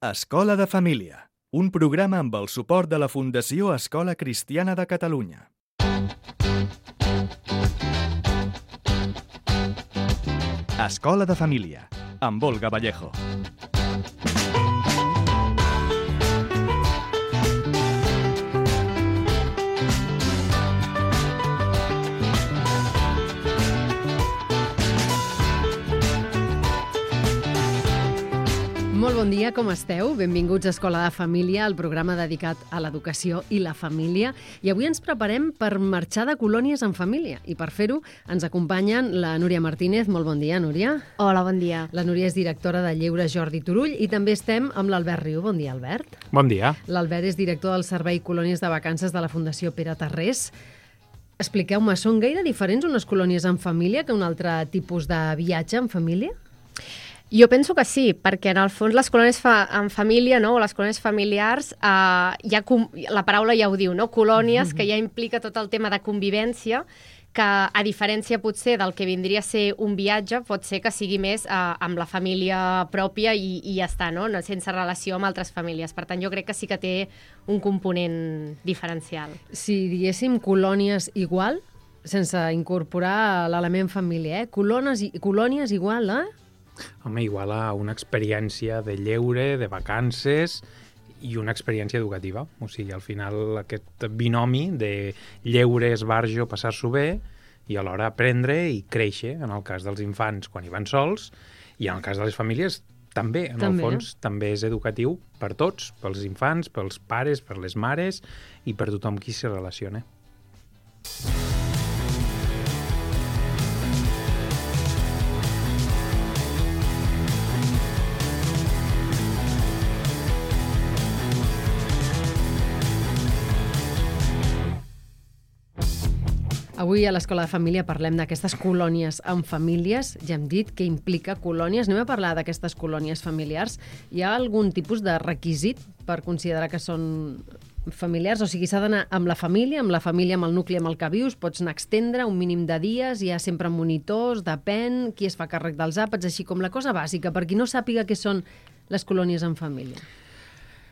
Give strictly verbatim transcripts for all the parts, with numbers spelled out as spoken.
Escola de Família, un programa amb el suport de la Fundació Escola Cristiana de Catalunya. Escola de Família, amb Olga Vallejo. Molt bon dia, com esteu? Benvinguts a Escola de Família, el programa dedicat a l'educació i la família. I avui ens preparem per marxar de colònies en família. I per fer-ho ens acompanyen la Núria Martínez. Molt bon dia, Núria. Hola, bon dia. La Núria és directora de Lleure Jordi Turull i també estem amb l'Albert Riu. Bon dia, Albert. Bon dia. L'Albert és director del Servei Colònies de Vacances de la Fundació Pere Tarrés. Expliqueu-me, són gaire diferents unes colònies en família que un altre tipus de viatge en família? Jo penso que sí, perquè en el fons les colònies fa, en família, no, o les colònies familiars, eh, ja com, la paraula ja ho diu, no? Colònies, que ja implica tot el tema de convivència, que a diferència potser del que vindria a ser un viatge, pot ser que sigui més eh, amb la família pròpia i, i ja està, no? Sense relació amb altres famílies. Per tant, jo crec que sí que té un component diferencial. Si diguéssim colònies igual, sense incorporar l'element família, eh? Colònies, colònies igual, eh? Home, igual a una experiència de lleure, de vacances i una experiència educativa. O sigui, al final aquest binomi de lleure, esbarjo, passar-s'ho bé i alhora aprendre i créixer, en el cas dels infants quan hi van sols i en el cas de les famílies també, en també. el fons, també és educatiu per tots, pels infants, pels pares, per les mares i per tothom qui s'hi relaciona. Avui a l'Escola de Família parlem d'aquestes colònies en famílies. Ja hem dit què implica colònies. Anem a parlar d'aquestes colònies familiars. Hi ha algun tipus de requisit per considerar que són familiars? O sigui, s'ha d'anar amb la família, amb la família, amb el nucli amb el que vius, pots anar a extendre un mínim de dies, hi ha sempre monitors, depèn, qui es fa càrrec dels àpats, així com la cosa bàsica, per qui no sàpiga què són les colònies en família.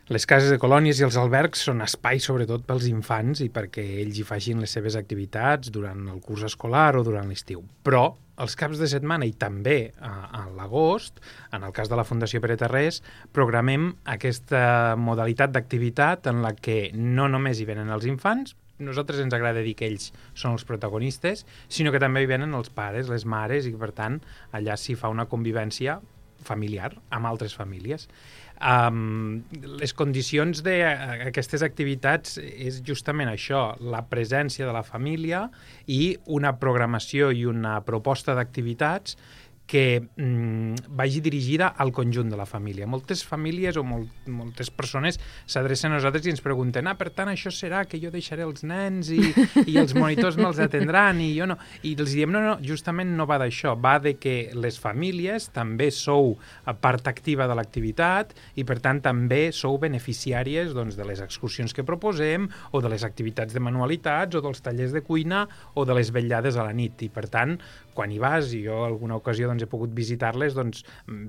Les cases de colònies i els albergs són espais sobretot pels infants i perquè ells hi facin les seves activitats durant el curs escolar o durant l'estiu. Però els caps de setmana i també a, a l'agost, en el cas de la Fundació Pere Tarrés, programem aquesta modalitat d'activitat en la que no només hi venen els infants, nosaltres ens agrada dir que ells són els protagonistes, sinó que també hi venen els pares, les mares, i per tant allà s'hi fa una convivència familiar amb altres famílies. Um, les condicions d'aquestes activitats és justament això, la presència de la família i una programació i una proposta d'activitats que mm, vagi dirigida al conjunt de la família. Moltes famílies o molt, moltes persones s'adrecen a nosaltres i ens pregunten ah, per tant, això serà que jo deixaré els nens i, i els monitors me'ls atendran i jo no. I els diem, no, no, justament no va d'això, va de que les famílies també sou part activa de l'activitat i, per tant, també sou beneficiàries doncs, de les excursions que proposem o de les activitats de manualitats o dels tallers de cuina o de les vetllades a la nit. I, per tant, quan hi vas, i jo alguna ocasió doncs, he pogut visitar-les, doncs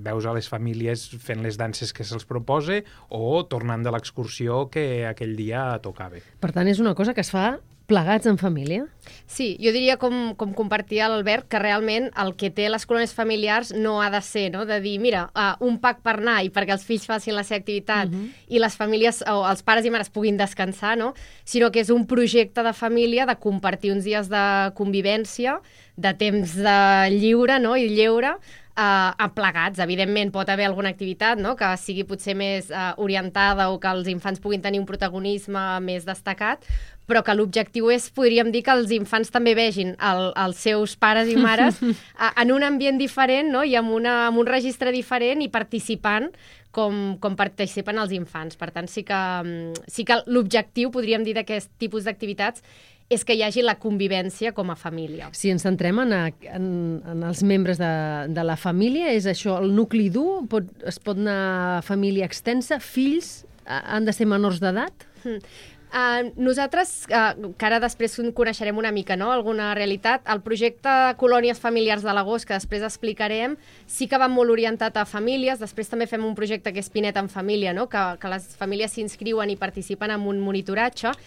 veus a les famílies fent les danses que se'ls propose o tornant de l'excursió que aquell dia tocava. Per tant, és una cosa que es fa plegats en família? Sí, jo diria, com, com compartia l'Albert, que realment el que té les colònies familiars no ha de ser, no? De dir, mira, uh, un pack per anar i perquè els fills facin la seva activitat uh-huh. i les famílies, o els pares i mares puguin descansar, no? Sinó que és un projecte de família de compartir uns dies de convivència, de temps de lliure, no? I lleure, Uh, aplegats. Evidentment pot haver alguna activitat, no? Que sigui potser més uh, orientada o que els infants puguin tenir un protagonisme més destacat, però que l'objectiu és, podríem dir, que els infants també vegin el, els seus pares i mares uh, en un ambient diferent, no? I amb, una, amb un registre diferent i participant com, com participen els infants. Per tant, sí que, um, sí que l'objectiu, podríem dir, d'aquest tipus d'activitats és que hi hagi la convivència com a família. Si ens centrem en, en, en els membres de, de la família, és això, el nucli dur, pot, es pot anar família extensa, fills han de ser menors d'edat? Mm. Uh, nosaltres, uh, que ara després coneixerem una mica, no?, alguna realitat, el projecte Colònies Familiars de l'Agost, que després explicarem, sí que va molt orientat a famílies. Després també fem un projecte que és Pinet en Família, no?, que, que les famílies s'inscriuen i participen en un monitoratge.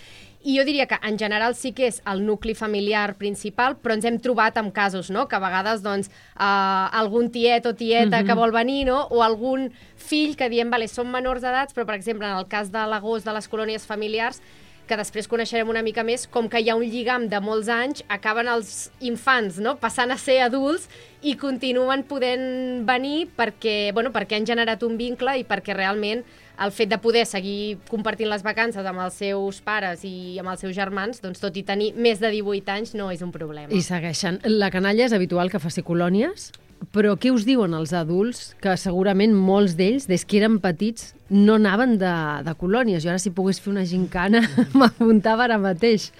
I jo diria que en general sí que és el nucli familiar principal, però ens hem trobat amb casos, no?, que a vegades doncs, uh, algun tiet o tieta mm-hmm. que vol venir, no?, o algun fill que diem, vale, són menors d'edats, però per exemple en el cas de l'Agost de les colònies familiars, que després coneixerem una mica més, com que hi ha un lligam de molts anys, acaben els infants, no?, passant a ser adults i continuen podent venir perquè, bueno, perquè han generat un vincle i perquè realment el fet de poder seguir compartint les vacances amb els seus pares i amb els seus germans, doncs tot i tenir més de divuit anys no és un problema. I segueixen. La canalla és habitual que faci colònies, però què us diuen els adults, que segurament molts d'ells, des que eren petits, no anaven de, de colònies? Jo ara, si pogués fer una gincana, m'apuntava ara mateix.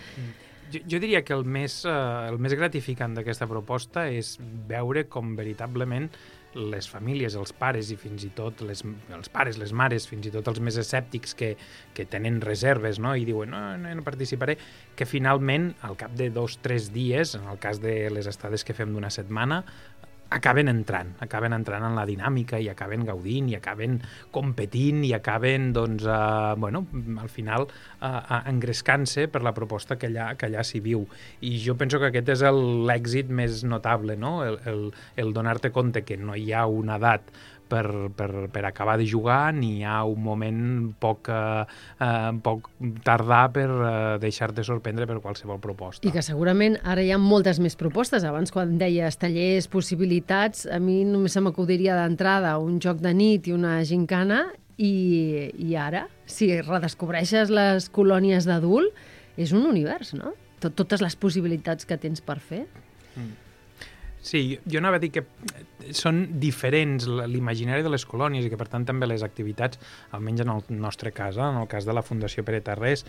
Jo, jo diria que el més, eh, el més gratificant d'aquesta proposta és veure com veritablement les famílies, els pares i fins i tot les, els pares, les mares, fins i tot els més escèptics que, que tenen reserves, no?, i diuen no, no, no participaré, que finalment al cap de dos o tres dies, en el cas de les estades que fem d'una setmana, acaben entrant, acaben entrant en la dinàmica i acaben gaudint i acaben competint i acaben, doncs, uh, bueno, al final uh, engrescant-se per la proposta que allà, que allà s'hi viu. I jo penso que aquest és l'èxit més notable, no?, el, el, el donar-te compte que no hi ha una edat per, per, per acabar de jugar, ni hi ha un moment poc, eh, poc tardà per eh, deixar-te sorprendre per qualsevol proposta. I que segurament ara hi ha moltes més propostes. Abans, quan deies tallers, possibilitats, a mi només se m'acudiria d'entrada un joc de nit i una gincana, i, i ara, si redescobreixes les colònies d'adult, és un univers, no? Tot, totes les possibilitats que tens per fer. Mm. Sí, jo anava a dir que són diferents l'imaginari de les colònies i que, per tant, també les activitats, almenys en el nostre cas, en el cas de la Fundació Pere Tarrés,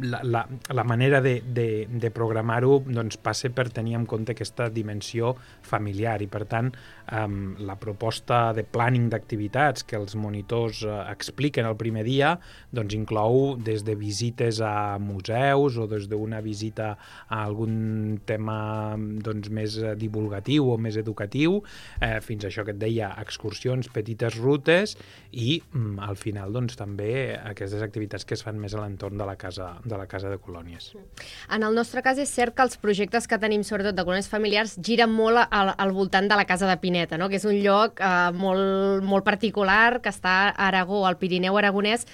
la, la, la manera de, de, de programar-ho doncs, passa per tenir en compte aquesta dimensió familiar i, per tant, um, la proposta de planning d'activitats que els monitors uh, expliquen el primer dia doncs, inclou des de visites a museus o des d'una visita a algun tema doncs, més divulgatiu o més educatiu, eh, fins a això que et deia, excursions, petites rutes i mm, al final doncs, també aquestes activitats que es fan més a l'entorn de la casa de la casa de colònies. En el nostre cas és cert que els projectes que tenim, sobretot de colònies familiars, giren molt al, al voltant de la casa de Pineta, no?, que és un lloc eh, molt, molt particular que està a Aragó, al Pirineu aragonès,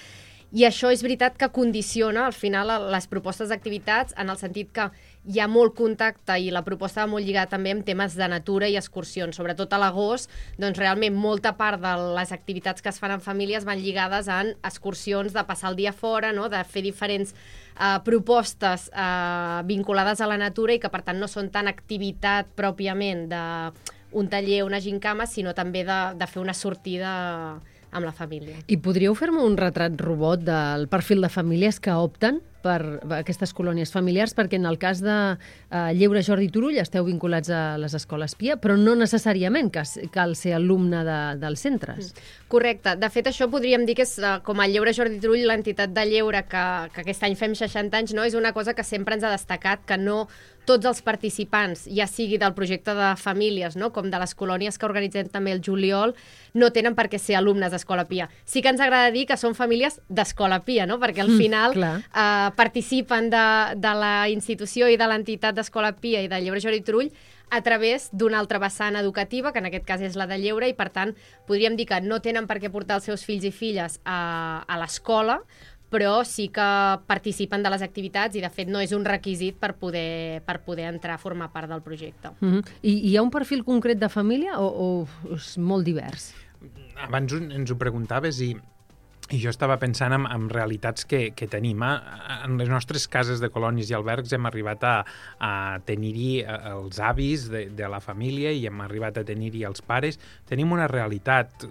i això és veritat que condiciona al final les propostes d'activitats en el sentit que hi ha molt contacte i la proposta va molt lligada també amb temes de natura i excursions. Sobretot a l'agost, doncs realment molta part de les activitats que es fan en famílies van lligades en excursions, de passar el dia fora, no?, de fer diferents eh, propostes eh, vinculades a la natura i que per tant no són tan activitat pròpiament d'un taller, una gincama, sinó també de, de fer una sortida amb la família. I podríeu fer-me un retrat robot del perfil de famílies que opten per aquestes colònies familiars, perquè en el cas de uh, Lleure Jordi Turull esteu vinculats a les escoles Pia, però no necessàriament que cal ser alumne de, dels centres. Correcte. De fet, això podríem dir que és uh, com a Lleure Jordi Turull, l'entitat de lleure que, que aquest any fem seixanta anys, no? És una cosa que sempre ens ha destacat, que no tots els participants, ja sigui del projecte de famílies, no?, com de les colònies que organitzem també el juliol, no tenen per què ser alumnes d'Escola Pia. Sí que ens agrada dir que són famílies d'Escola Pia, no?, perquè al final mm, eh, participen de, de la institució i de l'entitat d'Escola Pia i de Lleure Jordi Turull a través d'una altra vessant educativa, que en aquest cas és la de lleure, i per tant podríem dir que no tenen per què portar els seus fills i filles a, a l'escola, però sí que participen de les activitats i, de fet, no és un requisit per poder, per poder entrar a formar part del projecte. Mm-hmm. I hi ha un perfil concret de família o, o és molt divers? Abans ens ho preguntaves i, i jo estava pensant en, en realitats que, que tenim. En les nostres cases de colònies i albergs hem arribat a, a tenir-hi els avis de, de la família i hem arribat a tenir-hi els pares. Tenim una realitat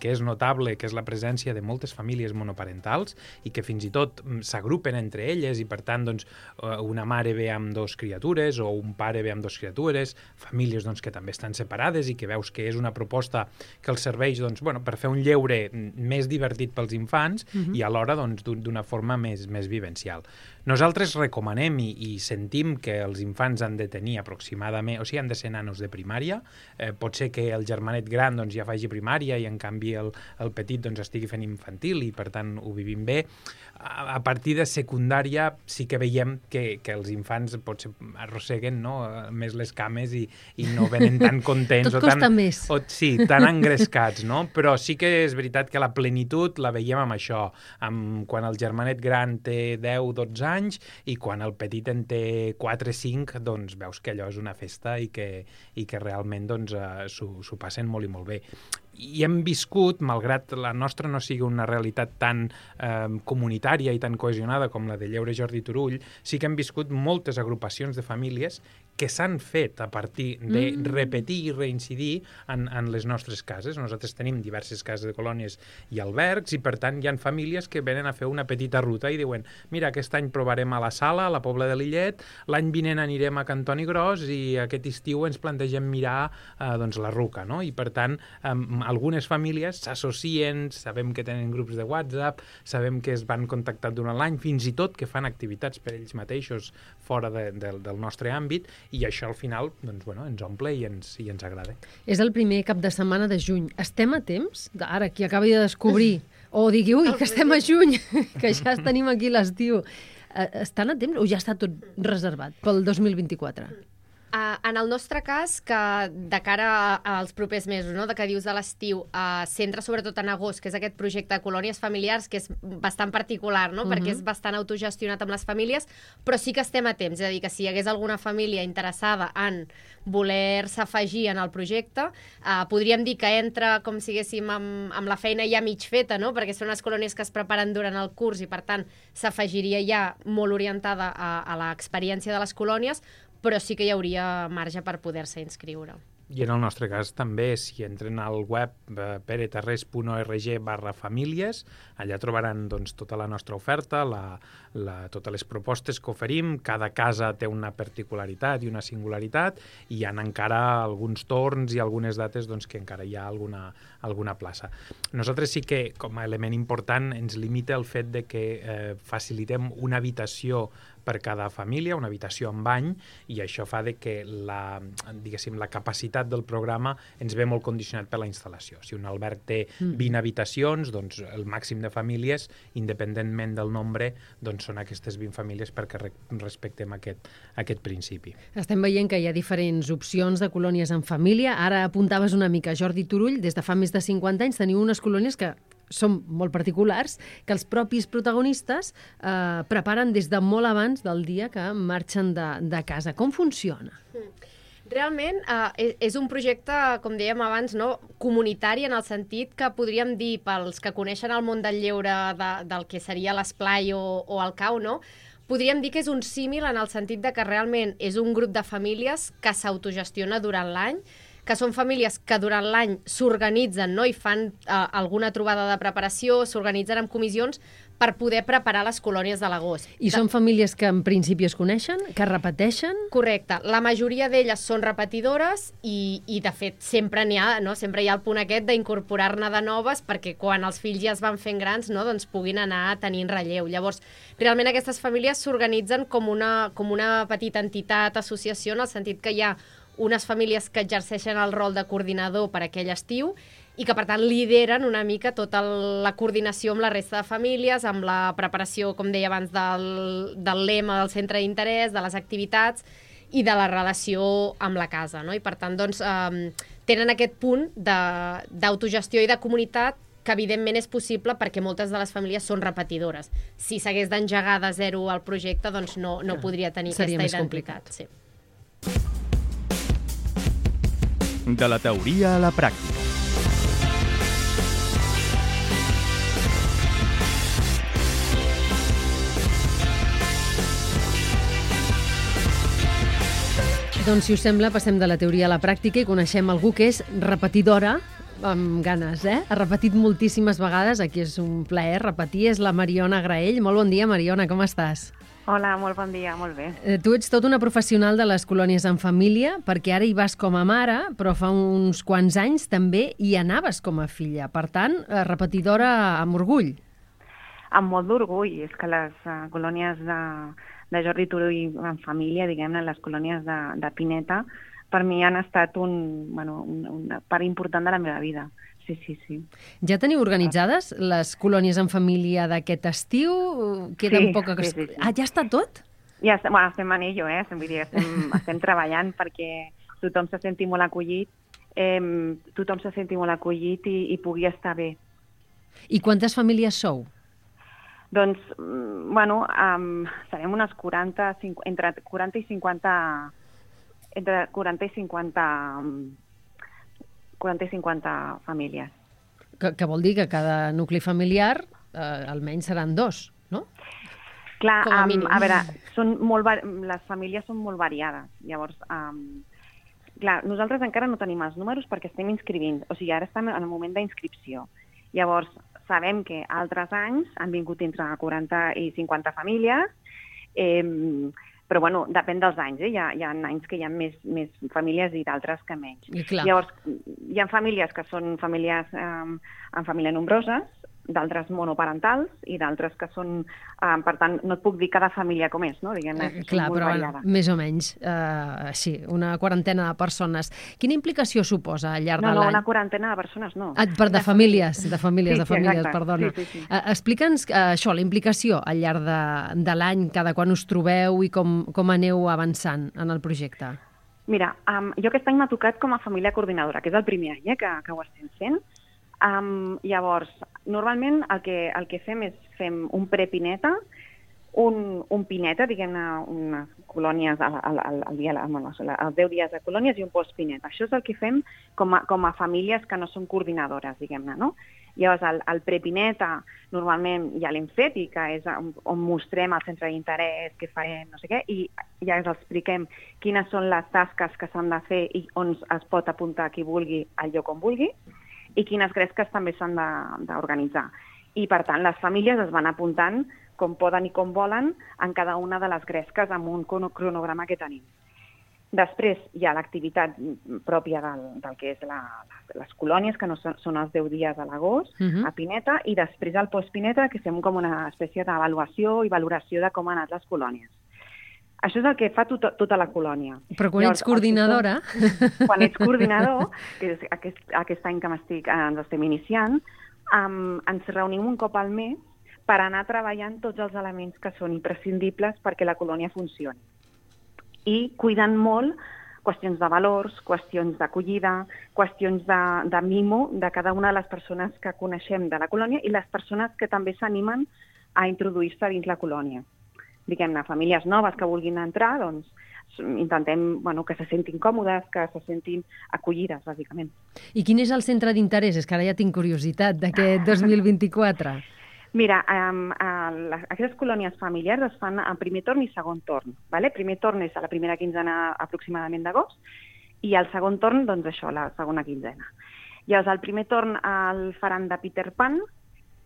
que és notable, que és la presència de moltes famílies monoparentals i que fins i tot s'agrupen entre elles i, per tant, doncs, una mare ve amb dos criatures o un pare ve amb dos criatures, famílies doncs, que també estan separades i que veus que és una proposta que els serveix doncs, bueno, per fer un lleure més divertit pels infants infants uh-huh. i alhora doncs, d'una forma més, més vivencial. Nosaltres recomanem i, i sentim que els infants han de tenir aproximadament, o sigui, han de ser nanos de primària. Eh, pot ser que el germanet gran doncs, ja faci primària i en canvi el, el petit doncs, estigui fent infantil i per tant ho vivim bé. A, a partir de secundària sí que veiem que, que els infants potser arrosseguen no? més les cames i, i no venen tan contents. Tot o costa tan, més. O, sí, tan engrescats, no? Però sí que és veritat que la plenitud la veiem amb això, amb quan el germanet gran té deu dotze anys i quan el petit en té quatre cinc, doncs veus que allò és una festa i que, i que realment doncs, uh, s'ho passen molt i molt bé. I hem viscut, malgrat la nostra no sigui una realitat tan eh, comunitària i tan cohesionada com la de Lleure Jordi Turull, sí que hem viscut moltes agrupacions de famílies que s'han fet a partir de mm. repetir i reincidir en, en les nostres cases. Nosaltres tenim diverses cases de colònies i albergs i, per tant, hi ha famílies que venen a fer una petita ruta i diuen mira, aquest any provarem a la Sala, a la Pobla de Lillet, l'any vinent anirem a Cantoni Gros i aquest estiu ens plantegem mirar eh, doncs, la Ruca, no? I, per tant, eh, algunes famílies s'associen, sabem que tenen grups de WhatsApp, sabem que es van contactar durant l'any, fins i tot que fan activitats per ells mateixos fora de, de, del nostre àmbit, i això al final doncs, bueno, ens omple i ens, i ens agrada. És el primer cap de setmana de juny. Estem a temps? Ara, qui acabi de descobrir, o digui, ui, que estem a juny, que ja tenim aquí l'estiu. Estan a temps o ja està tot reservat pel dos mil vint-i-quatre? Uh, en el nostre cas, que de cara als propers mesos, no, de que dius de l'estiu, uh, centra sobretot en agost, que és aquest projecte de colònies familiars, que és bastant particular, no? Uh-huh. Perquè és bastant autogestionat amb les famílies, però sí que estem a temps. És a dir, que si hi hagués alguna família interessada en voler-se afegir en el projecte, uh, podríem dir que entra com si haguéssim amb, amb la feina ja mig feta, no? Perquè són unes colònies que es preparen durant el curs i, per tant, s'afegiria ja molt orientada a, a l'experiència de les colònies, però sí que hi hauria marge per poder-se inscriure. I en el nostre cas també, si entren al web eh, peretarrés punt org barra famílies, allà trobaran doncs, tota la nostra oferta, la, la, totes les propostes que oferim. Cada casa té una particularitat i una singularitat i hi ha encara alguns torns i algunes dates doncs, que encara hi ha alguna, alguna plaça. Nosaltres sí que, com a element important, ens limita el fet de que eh, facilitem una habitació per cada família, una habitació amb bany, i això fa de que la, diguéssim, la capacitat del programa ens ve molt condicionat per la instal·lació. Si un alberg té vint habitacions, doncs el màxim de famílies, independentment del nombre, doncs són aquestes vint famílies perquè re respectem aquest, aquest principi. Estem veient que hi ha diferents opcions de colònies en família. Ara apuntaves una mica, Jordi Turull, des de fa més de cinquanta anys teniu unes colònies que són molt particulars, que els propis protagonistes eh, preparen des de molt abans del dia que marxen de, de casa. Com funciona? Realment eh, és un projecte, com dèiem abans, no, comunitari, en el sentit que podríem dir, pels que coneixen el món del lleure, de, del que seria l'esplai o, o el cau, no? Podríem dir que és un símil en el sentit de que realment és un grup de famílies que s'autogestiona durant l'any, que són famílies que durant l'any s'organitzen, no? I fan eh, alguna trobada de preparació, s'organitzen en comissions per poder preparar les colònies de l'agost. I són famílies que en principi es coneixen, que repeteixen? Correcte. La majoria d'elles són repetidores i, i de fet, sempre n'hi ha, no? Sempre hi ha el punt aquest d'incorporar-ne de noves perquè quan els fills ja es van fent grans, no? Doncs puguin anar tenint relleu. Llavors, realment aquestes famílies s'organitzen com una, com una petita entitat, associació, en el sentit que hi ha unes famílies que exerceixen el rol de coordinador per aquell estiu i que, per tant, lideren una mica tota la coordinació amb la resta de famílies, amb la preparació, com deia abans, del, del lema del centre d'interès, de les activitats i de la relació amb la casa, no? I, per tant, doncs, eh, tenen aquest punt d'autogestió i de comunitat que, evidentment, és possible perquè moltes de les famílies són repetidores. Si s'hagués d'engegar de zero el projecte, doncs no, no podria tenir Seria aquesta més identitat. Sí. De la teoria a la pràctica. Doncs, si us sembla, passem de la teoria a la pràctica i coneixem algú que és repetidora, amb ganes, eh? Ha repetit moltíssimes vegades, aquí és un plaer repetir, és la Mariona Graell. Molt bon dia, Mariona, com estàs? Hola, molt bon dia, molt bé. Eh, tu ets tot una professional de les colònies en família, perquè ara hi vas com a mare, però fa uns quants anys també hi anaves com a filla. Per tant, eh, repetidora amb orgull. amb molt d'orgull. És que les uh, colònies de, de Jordi Turull en família, diguem-ne, les colònies de, de Pineta, per mi han estat un, bueno, un, una part important de la meva vida. Sí, sí, sí. Ja teniu organitzades les colònies en família d'aquest estiu? Queden Sí, poca... sí, sí, sí. Ah, ja està tot? Ja estem, bueno, estem en ello, eh? Vull dir, estem, estem treballant perquè tothom se senti molt acollit, eh, tothom se senti molt acollit i, i pugui estar bé. I quantes famílies sou? Doncs, mm, bueno, um, serem unes quaranta, cinquanta, entre quaranta i cinquanta, entre quaranta i cinquanta, quaranta i cinquanta famílies. Que, que vol dir que cada nucli familiar eh, almenys seran dos, no? Clar, Com a um, mínim. a veure, són molt, va- les famílies són molt variades. Llavors, um, clar, nosaltres encara no tenim els números perquè estem inscrivint. O sigui, ara estem en el moment d'inscripció. Llavors, sabem que altres anys han vingut entre quaranta i cinquanta famílies, eh, però bueno, depèn dels anys. Eh? Hi, ha, hi ha anys que hi ha més, més famílies i d'altres que menys. I clar. Llavors, hi ha famílies que són famílies eh, en família nombroses, d'altres monoparentals i d'altres que són, eh, per tant, no et puc dir cada família com és, no? Diguem-ne, Eh, són clar, molt però bueno, variades. més o menys, eh, sí, una quarantena de persones. Quina implicació suposa al llarg No, de no, l'any? una quarantena de persones, no. Ah, per de famílies, de famílies, Sí, de sí, famílies, exacte. perdona. Sí, sí, sí. Eh, Explica'ns eh, això, la implicació al llarg de, de l'any, cada quan us trobeu i com, com aneu avançant en el projecte. Mira, um, jo aquest any m'ha tocat com a família coordinadora, que és el primer any eh, que, que ho estem fent. Um, llavors, normalment el que, el que fem és fem un prepineta, un, un pineta, diguem-ne, unes colònies al, al, al, al dia, bueno, els deu dies de colònies i un postpineta. Això és el que fem com a, com a famílies que no són coordinadores, diguem-ne, no? Llavors, el, el prepineta normalment ja l'hem fet i que és on, on mostrem el centre d'interès, què farem, no sé què, i ja ens expliquem quines són les tasques que s'han de fer i on es pot apuntar qui vulgui al lloc on vulgui, i quines gresques també s'han de- d'organitzar. I, per tant, les famílies es van apuntant com poden i com volen en cada una de les gresques amb un crono- cronograma que tenim. Després hi ha l'activitat pròpia del, del que és la, les colònies, que no són, són els deu dies a l'agost, Mhm. a Pineta, i després al postpineta, que fem com una espècie d'avaluació i valoració de com han anat les colònies. Això és el que fa tot, tota la colònia. Però quan Llavors, ets coordinadora... el que som- Quan ets coordinador, que és aquest, aquest any que m'estic, eh, ens estem iniciant, um, ens reunim un cop al mes per anar treballant tots els elements que són imprescindibles perquè la colònia funcioni. I cuidant molt qüestions de valors, qüestions d'acollida, qüestions de, de mimo de cada una de les persones que coneixem de la colònia i les persones que també s'animen a introduir-se dins la colònia. Diguem-ne, famílies noves que vulguin entrar, doncs intentem bueno, que se sentin còmodes, que se sentin acollides, bàsicament. I quin és el centre d'interès? És que ara ja tinc curiositat d'aquest dos mil vint-i-quatre. Mira, um, uh, les, aquestes colònies familiars es fan en primer torn i segon torn. Vale? Primer torn és a la primera quinzena aproximadament d'agost i el segon torn, doncs això, la segona quinzena. Llavors, el primer torn el faran de Peter Pan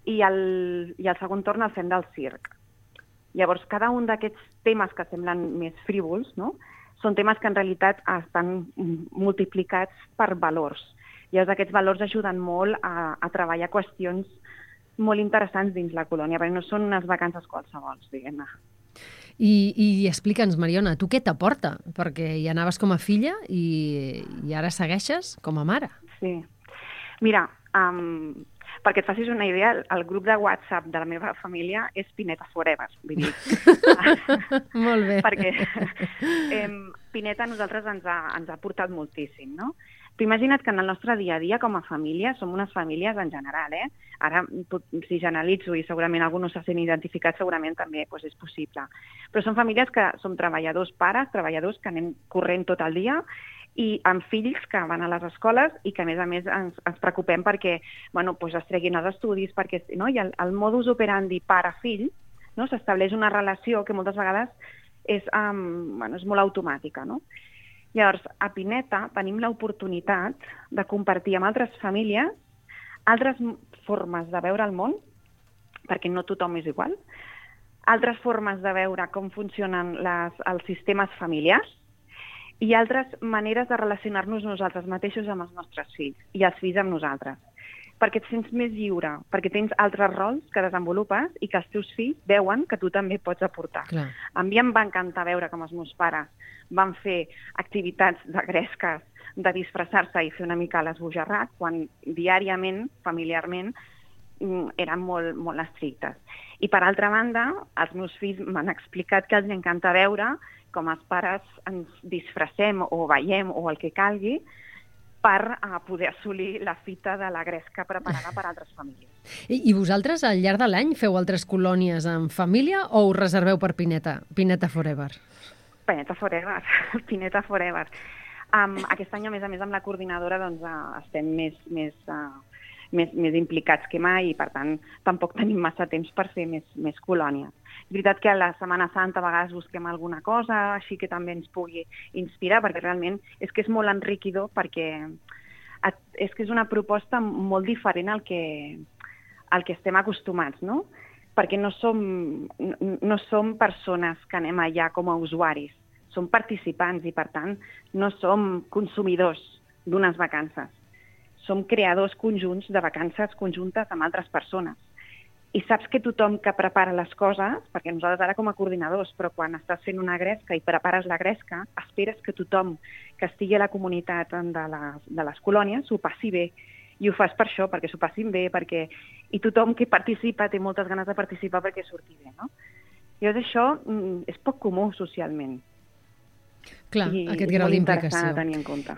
i el, i el segon torn el fem del circ. Llavors, cada un d'aquests temes que semblen més frívols, no? Són temes que en realitat estan multiplicats per valors. Llavors, aquests valors ajuden molt a, a treballar qüestions molt interessants dins la colònia, perquè no són unes vacances qualsevols, diguem-ne. I, i explica'ns, Mariona, tu què t'aporta? Perquè hi anaves com a filla i, i ara segueixes com a mare. Sí. Mira, um, perquè et facis una idea, el grup de WhatsApp de la meva família és Pineta Forever. Vull dir, Molt bé. perquè eh, Pineta a nosaltres ens ha, ens ha portat moltíssim, no? Tu imagina't que en el nostre dia a dia com a família, som unes famílies en general, eh? Ara, si generalitzo i segurament algú no se sent identificat, segurament també doncs, és possible. Però són famílies que som treballadors pares, treballadors que anem corrent tot el dia i amb fills que van a les escoles i que, a més a més, ens, ens preocupem perquè bueno, doncs es treguin els estudis, perquè no? I el, el modus operandi pare-fill, no? S'estableix una relació que moltes vegades és, um, bueno, és molt automàtica, no? Llavors, a Pineta tenim l'oportunitat de compartir amb altres famílies altres formes de veure el món, perquè no tothom és igual, altres formes de veure com funcionen les, els sistemes familiars i altres maneres de relacionar-nos nosaltres mateixos amb els nostres fills i els fills amb nosaltres. perquè et sents més lliure, perquè tens altres rols que desenvolupes i que els teus fills veuen que tu també pots aportar. Clar. A mi em va encantar veure com els meus pares van fer activitats de gresques, de disfressar-se i fer una mica l'esbojarrat, quan diàriament, familiarment, eren molt, molt estrictes. I per altra banda, els meus fills m'han explicat que els encanta veure com els pares ens disfressem o veiem o el que calgui per uh, poder assolir la fita de la gresca preparada per altres famílies. I, I vosaltres, al llarg de l'any, feu altres colònies en família o us reserveu per Pineta? Pineta Forever? Pineta Forever. Pineta Forever. Um, aquest any, a més a més, amb la coordinadora doncs, uh, estem més, més, uh, més, més implicats que mai i, per tant, tampoc tenim massa temps per fer més, més colònies. És veritat que a la Setmana Santa a vegades busquem alguna cosa així que també ens pugui inspirar, perquè realment és que és molt enriquidor, perquè és que és una proposta molt diferent al que, al que estem acostumats, no? Perquè no som, no som persones que anem allà com a usuaris, som participants i, per tant, no som consumidors d'unes vacances. Som creadors conjunts de vacances conjuntes amb altres persones. I saps que tothom que prepara les coses, perquè nosaltres ara com a coordinadors, però quan estàs fent una gresca i prepares la gresca, esperes que tothom que estigui a la comunitat de les, de les colònies s'ho passi bé. I ho fas per això, perquè s'ho passin bé, perquè... i tothom que participa té moltes ganes de participar perquè surti bé, no? Llavors això és poc comú socialment. Clar, I aquest grau d'implicació.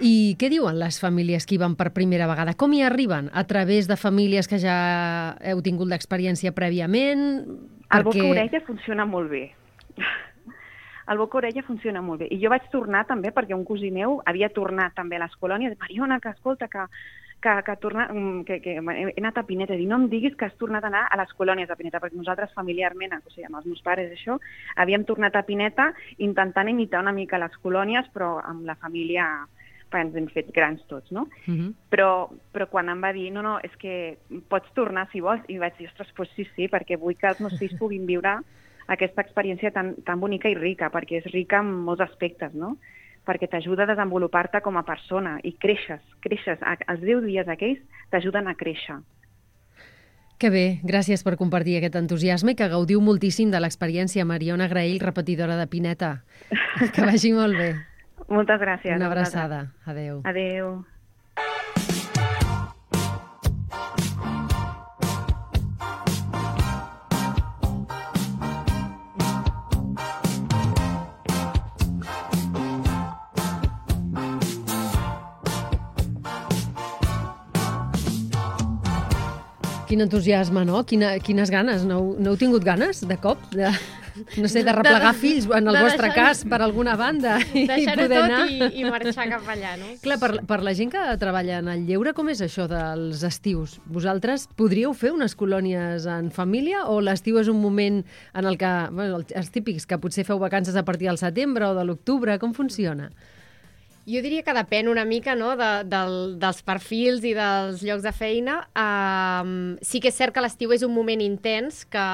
I què diuen les famílies que hi van per primera vegada? Com hi arriben? A través de famílies que ja heu tingut l'experiència prèviament? El boca-orella funciona molt bé. El boca-orella funciona molt bé. I jo vaig tornar també perquè un cosí meu havia tornat també a les colònies. Mariona, que escolta, que, que, que, torna, que, que he anat a Pineta. I no em diguis que has tornat a anar a les colònies de Pineta, perquè nosaltres familiarment, o sigui, amb els meus pares, això, havíem tornat a Pineta intentant imitar una mica les colònies, però amb la família ens hem fet grans tots, no? Uh-huh. Però, però quan em va dir, no, no, és que pots tornar si vols, i vaig dir, ostres, doncs sí, sí, perquè vull que els meus fills puguin viure aquesta experiència tan, tan bonica i rica, perquè és rica en molts aspectes, no? Perquè t'ajuda a desenvolupar-te com a persona i creixes, creixes. Els deu dies aquells t'ajuden a créixer. Que bé, gràcies per compartir aquest entusiasme i que gaudiu moltíssim de l'experiència. Mariona Graell, repetidora de Pineta. Que vagi molt bé. Moltes gràcies. Una abraçada. Adéu. Adéu. Quin entusiasme, no? Quina, quines ganes. No, no heu tingut ganes, de cop? De, no sé, de replegar fills, en el vostre deixar, cas, per alguna banda. Deixar-ho tot anar. i, i marxar cap allà, no? Clar, per, per la gent que treballa en el lleure, com és això dels estius? Vosaltres podríeu fer unes colònies en família o l'estiu és un moment en el que, bueno, els típics, que potser feu vacances a partir del setembre o de l'octubre, com funciona? Jo diria que depèn una mica, no, de, del, dels perfils i dels llocs de feina. Uh, sí que és cert que l'estiu és un moment intens, que,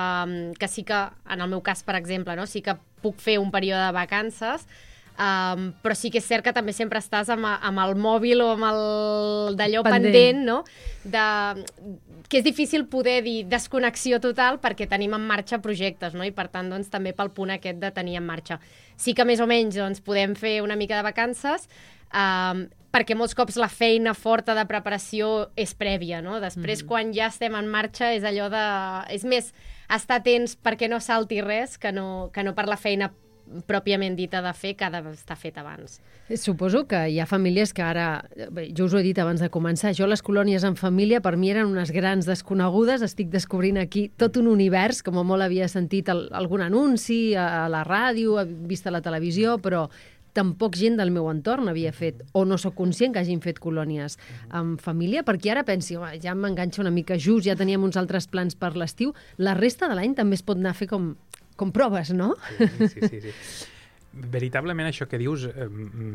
que sí que, en el meu cas, per exemple, no, sí que puc fer un període de vacances, um, però sí que és cert que també sempre estàs amb, amb el mòbil o amb el d'allò pendent, pendent no? De, que és difícil poder dir desconnexió total perquè tenim en marxa projectes, no? I per tant, doncs, també pel punt aquest de tenir en marxa. Sí que més o menys doncs, podem fer una mica de vacances, um, perquè molts cops la feina forta de preparació és prèvia, no? Després, mm. quan ja estem en marxa, és allò de... És més, estar atents perquè no salti res que no, que no per la feina pròpiament dita de fer, que ha d'estar fet abans. Suposo que hi ha famílies que ara, bé, jo us ho he dit abans de començar, jo les colònies en família per mi eren unes grans desconegudes, estic descobrint aquí tot un univers, com a molt havia sentit el, algun anunci a, a la ràdio, he vist a la televisió, però tampoc gent del meu entorn havia fet, o no sóc conscient que hagin fet colònies en família, perquè ara pensi, ja m'enganxa una mica just, ja teníem uns altres plans per l'estiu, la resta de l'any també es pot anar a fer com, com proves, no? Sí, sí, sí. sí. veritablement això que dius eh,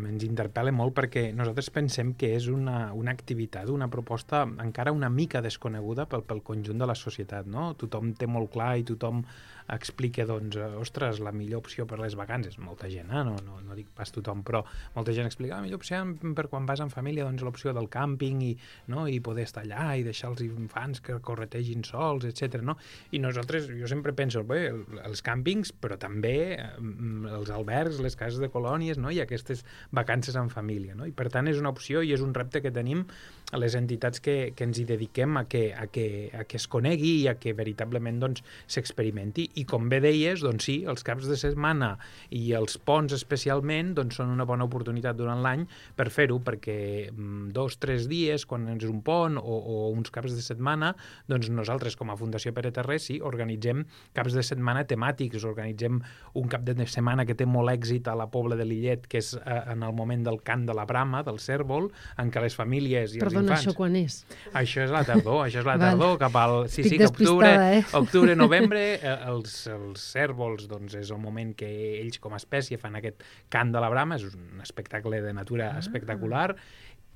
ens interpel·la molt perquè nosaltres pensem que és una, una activitat, una proposta encara una mica desconeguda pel, pel conjunt de la societat, no? Tothom té molt clar i tothom explica, doncs, ostres, la millor opció per les vacances, molta gent, eh? no, no, no dic pas tothom, però molta gent explica la millor opció per quan vas en família, doncs l'opció del càmping i, no? I poder estar allà i deixar els infants que corretegin sols, etcètera. No? I nosaltres, jo sempre penso, bé, els càmpings, però també els albergs, les cases de colònies, no? I aquestes vacances en família, no? I per tant és una opció i és un repte que tenim a les entitats que, que ens hi dediquem a que, a, que, a que es conegui i a que veritablement doncs, s'experimenti. I com bé deies, doncs sí, els caps de setmana i els ponts especialment doncs són una bona oportunitat durant l'any per fer-ho, perquè dos, tres dies, quan és un pont o, o uns caps de setmana, doncs nosaltres com a Fundació Pere Terré sí, organitzem caps de setmana temàtics, organitzem un cap de setmana que té molt èxit a la Pobla de Lillet, que és eh, en el moment del cant de la brama, del cèrvol, en què les famílies i Perdona, els infants... això quan és? Això és la tardor, això és la tardor, cap al... Sí, Estic sí, que octubre, eh? octubre, novembre, eh, els, els cèrvols, doncs, és el moment que ells com a espècie fan aquest cant de la brama, és un espectacle de natura ah. espectacular,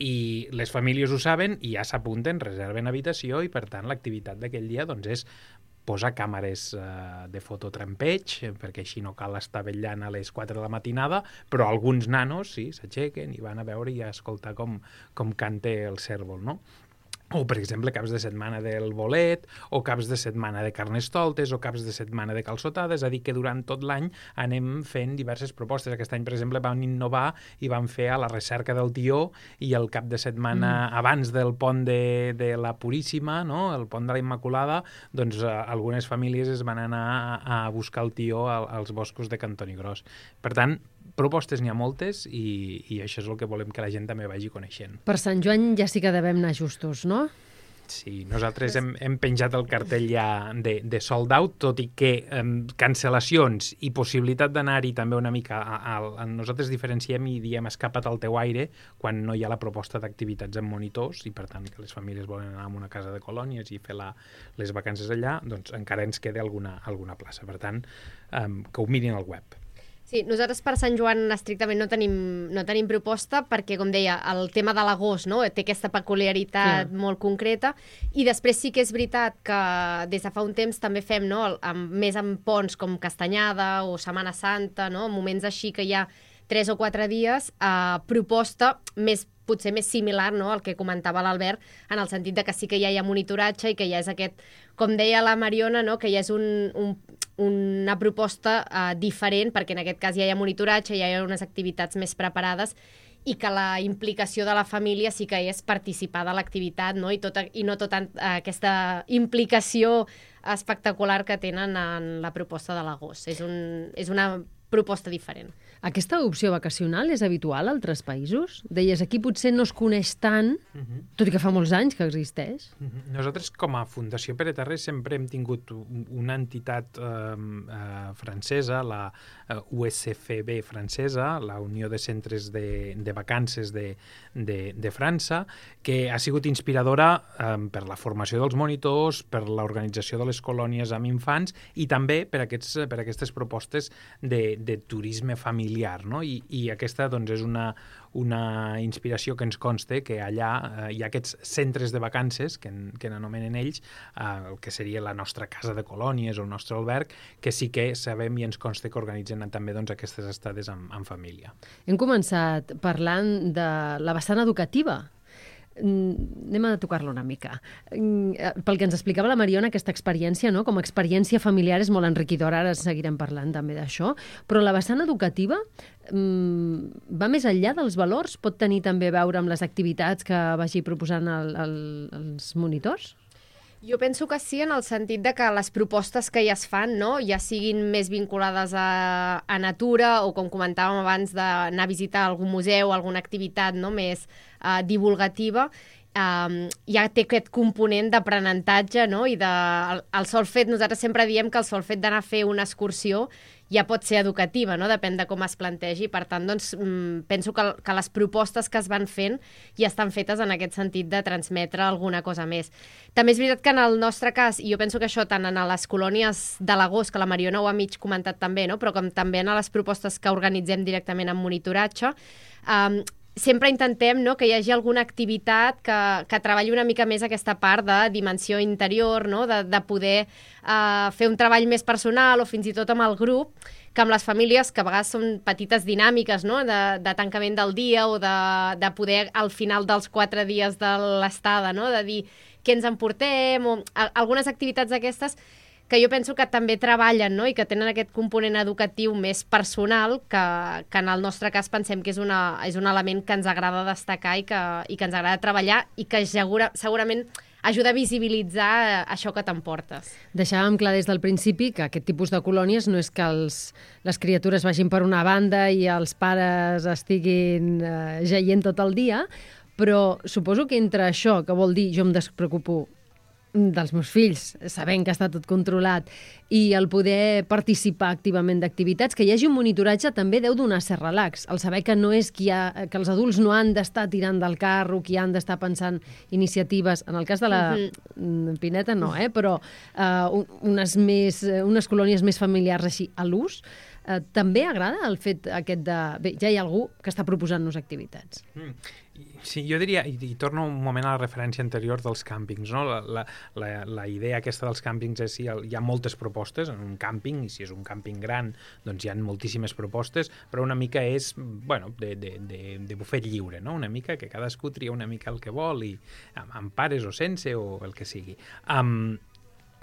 i les famílies ho saben i ja s'apunten, reserven habitació i, per tant, l'activitat d'aquell dia doncs, és posar càmeres eh, de fototrampeig, perquè així no cal estar vetllant a les quatre de la matinada, però alguns nanos sí, s'aixequen i van a veure i a escoltar com, com canta el cèrvol, no? O, per exemple, caps de setmana del bolet, o caps de setmana de carnestoltes, o caps de setmana de calçotades, és a dir, que durant tot l'any anem fent diverses propostes. Aquest any, per exemple, vam innovar i vam fer a la recerca del tió i el cap de setmana mm. abans del pont de, de la Puríssima, no? El pont de la Immaculada, doncs eh, algunes famílies es van anar a, a buscar el tió al, als boscos de Cantoni Gros. Per tant, propostes n'hi ha moltes i, i això és el que volem que la gent també vagi coneixent. Per Sant Joan ja sí que devem anar justos, no? Sí, nosaltres hem, hem penjat el cartell ja de, de sold out, tot i que eh, cancel·lacions i possibilitat d'anar-hi també una mica a, a, a nosaltres diferenciem i diem escapa't al teu aire quan no hi ha la proposta d'activitats amb monitors i per tant que les famílies volen anar a una casa de colònies i fer la, les vacances allà, doncs encara ens queda alguna, alguna plaça. Per tant, eh, que ho mirin al web. Sí, nosaltres per Sant Joan estrictament no tenim, no tenim proposta perquè, com deia, el tema de l'agost, no? Té aquesta peculiaritat Clar. molt concreta i després sí que és veritat que des de fa un temps també fem, no? Amb, més amb ponts com Castanyada o Setmana Santa, no? Moments així que hi ha tres o quatre dies, eh, proposta més potser més similar, no?, al que comentava l'Albert, en el sentit de que sí que ja hi ha monitoratge i que ja és aquest, com deia la Mariona, no?, que ja és un, un, una proposta uh, diferent, perquè en aquest cas ja hi ha monitoratge, ja hi ha unes activitats més preparades i que la implicació de la família sí que és participar de l'activitat, no?, i, tota, i no tota uh, aquesta implicació espectacular que tenen en la proposta de l'agost. És, un, és una proposta diferent. Aquesta opció vacacional és habitual a altres països? Deies, aquí potser no es coneix tant, uh-huh. tot i que fa molts anys que existeix. Uh-huh. Nosaltres, com a Fundació Pere Terré, sempre hem tingut una entitat eh, eh, francesa, la eh, U S F B francesa, la Unió de Centres de, de Vacances de, de, de França, que ha sigut inspiradora eh, per la formació dels monitors, per l'organització de les colònies amb infants i també per, aquests, per aquestes propostes de, de turisme familiar. No? I, i aquesta doncs, és una, una inspiració que ens consta que allà eh, hi ha aquests centres de vacances, que, en, que n'anomenen ells, eh, el que seria la nostra casa de colònies o el nostre alberg, que sí que sabem i ens consta que organitzen també doncs, aquestes estades en, en família. Hem començat parlant de la vessant educativa. Anem a tocar-la una mica. Pel que ens explicava la Mariona, aquesta experiència, no? Com a experiència familiar és molt enriquidora, ara seguirem parlant també d'això, però la vessant educativa mm, va més enllà dels valors? Pot tenir també a veure amb les activitats que vagi proposant el, el, els monitors? Jo penso que sí, en el sentit de que les propostes que ja es fan, no?, ja siguin més vinculades a, a natura o, com comentàvem abans, d'anar a visitar algun museu, alguna activitat, no?, més uh, divulgativa, um, ja té aquest component d'aprenentatge, no? I de, el, el sol fet, nosaltres sempre diem que el sol fet d'anar a fer una excursió ja pot ser educativa, no? Depèn de com es plantegi. Per tant, doncs, penso que, que les propostes que es van fent ja estan fetes en aquest sentit de transmetre alguna cosa més. També és veritat que en el nostre cas, i jo penso que això tant en les colònies de l'agost, que la Mariona ho ha mig comentat també, no? Però com també en les propostes que organitzem directament en monitoratge, um, sempre intentem, no, que hi hagi alguna activitat que, que treballi una mica més aquesta part de dimensió interior, no, de, de poder uh, fer un treball més personal o fins i tot amb el grup, que amb les famílies, que a vegades són petites dinàmiques, no, de, de tancament del dia o de, de poder al final dels quatre dies de l'estada, no, de dir què ens emportem o a, algunes activitats d'aquestes que jo penso que també treballen, no? I que tenen aquest component educatiu més personal, que, que en el nostre cas pensem que és, una, és un element que ens agrada destacar i que, i que ens agrada treballar i que segura, segurament ajuda a visibilitzar això que t'emportes. Deixàvem clar des del principi que aquest tipus de colònies no és que els, les criatures vagin per una banda i els pares estiguin eh, jaient tot el dia, però suposo que entre això, que vol dir jo em despreocupo dels meus fills, sabent que està tot controlat, i el poder participar activament d'activitats, que hi hagi un monitoratge també deu donar cert relax. El saber que no és qui ha, que els adults no han d'estar tirant del carro, qui han d'estar pensant iniciatives. En el cas de la uh-huh. Pineta no, eh? Però uh, unes, més, unes colònies més familiars així a l'ús, uh, també agrada el fet aquest de... Bé, ja hi ha algú que està proposant-nos activitats. Mm. Sí, jo diria, i, i torno un moment a la referència anterior dels càmpings, no? La, la, la, la idea aquesta dels càmpings és si hi ha moltes propostes en un càmping, i si és un càmping gran, doncs hi ha moltíssimes propostes, però una mica és, bueno, de, de, de, de bufet lliure, no? Una mica que cadascú tria una mica el que vol, i amb, amb pares o sense, o el que sigui. Um,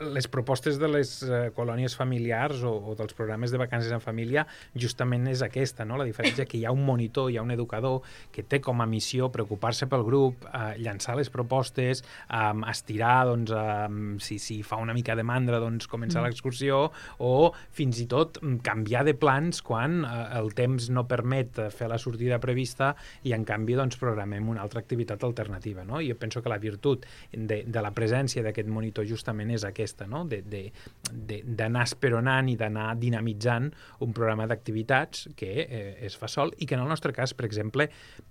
les propostes de les uh, colònies familiars o, o dels programes de vacances en família justament és aquesta, no? La diferència que hi ha un monitor, hi ha un educador que té com a missió preocupar-se pel grup, uh, llançar les propostes, um, estirar, doncs, um, si, si fa una mica de mandra, doncs començar mm. l'excursió, o fins i tot canviar de plans quan uh, el temps no permet fer la sortida prevista i en canvi doncs programem una altra activitat alternativa, no? Jo penso que la virtut de, de la presència d'aquest monitor justament és aquesta, no? D'anar esperonant i d'anar dinamitzant un programa d'activitats que eh, es fa sol i que en el nostre cas, per exemple,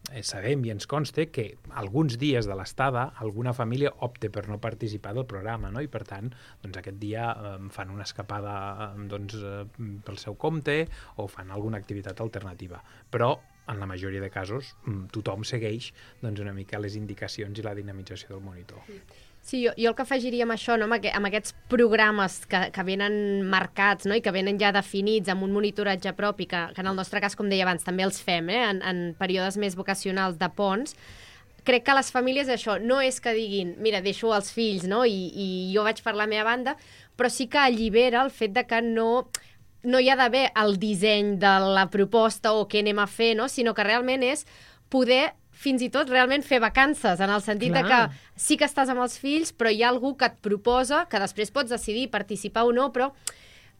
eh, sabem i ens consta que alguns dies de l'estada alguna família opta per no participar del programa, no? I per tant, doncs aquest dia eh, fan una escapada eh, doncs, eh, pel seu compte o fan alguna activitat alternativa. Però en la majoria de casos tothom segueix doncs, una mica les indicacions i la dinamització del monitor. Sí, jo, jo el que afegiria amb això, no? amb, aqu amb aquests programes que, que venen marcats, no? I que venen ja definits amb un monitoratge propi, que, que en el nostre cas, com deia abans, també els fem, eh? en, en períodes més vocacionals de ponts, crec que les famílies això no és que diguin, mira, deixo els fills, no? I, i jo vaig per la meva banda, però sí que allibera el fet de que no... no hi ha d'haver el disseny de la proposta o què anem a fer, no? Sinó que realment és poder fins i tot realment fer vacances, en el sentit Clar. de que sí que estàs amb els fills, però hi ha algú que et proposa, que després pots decidir participar o no, però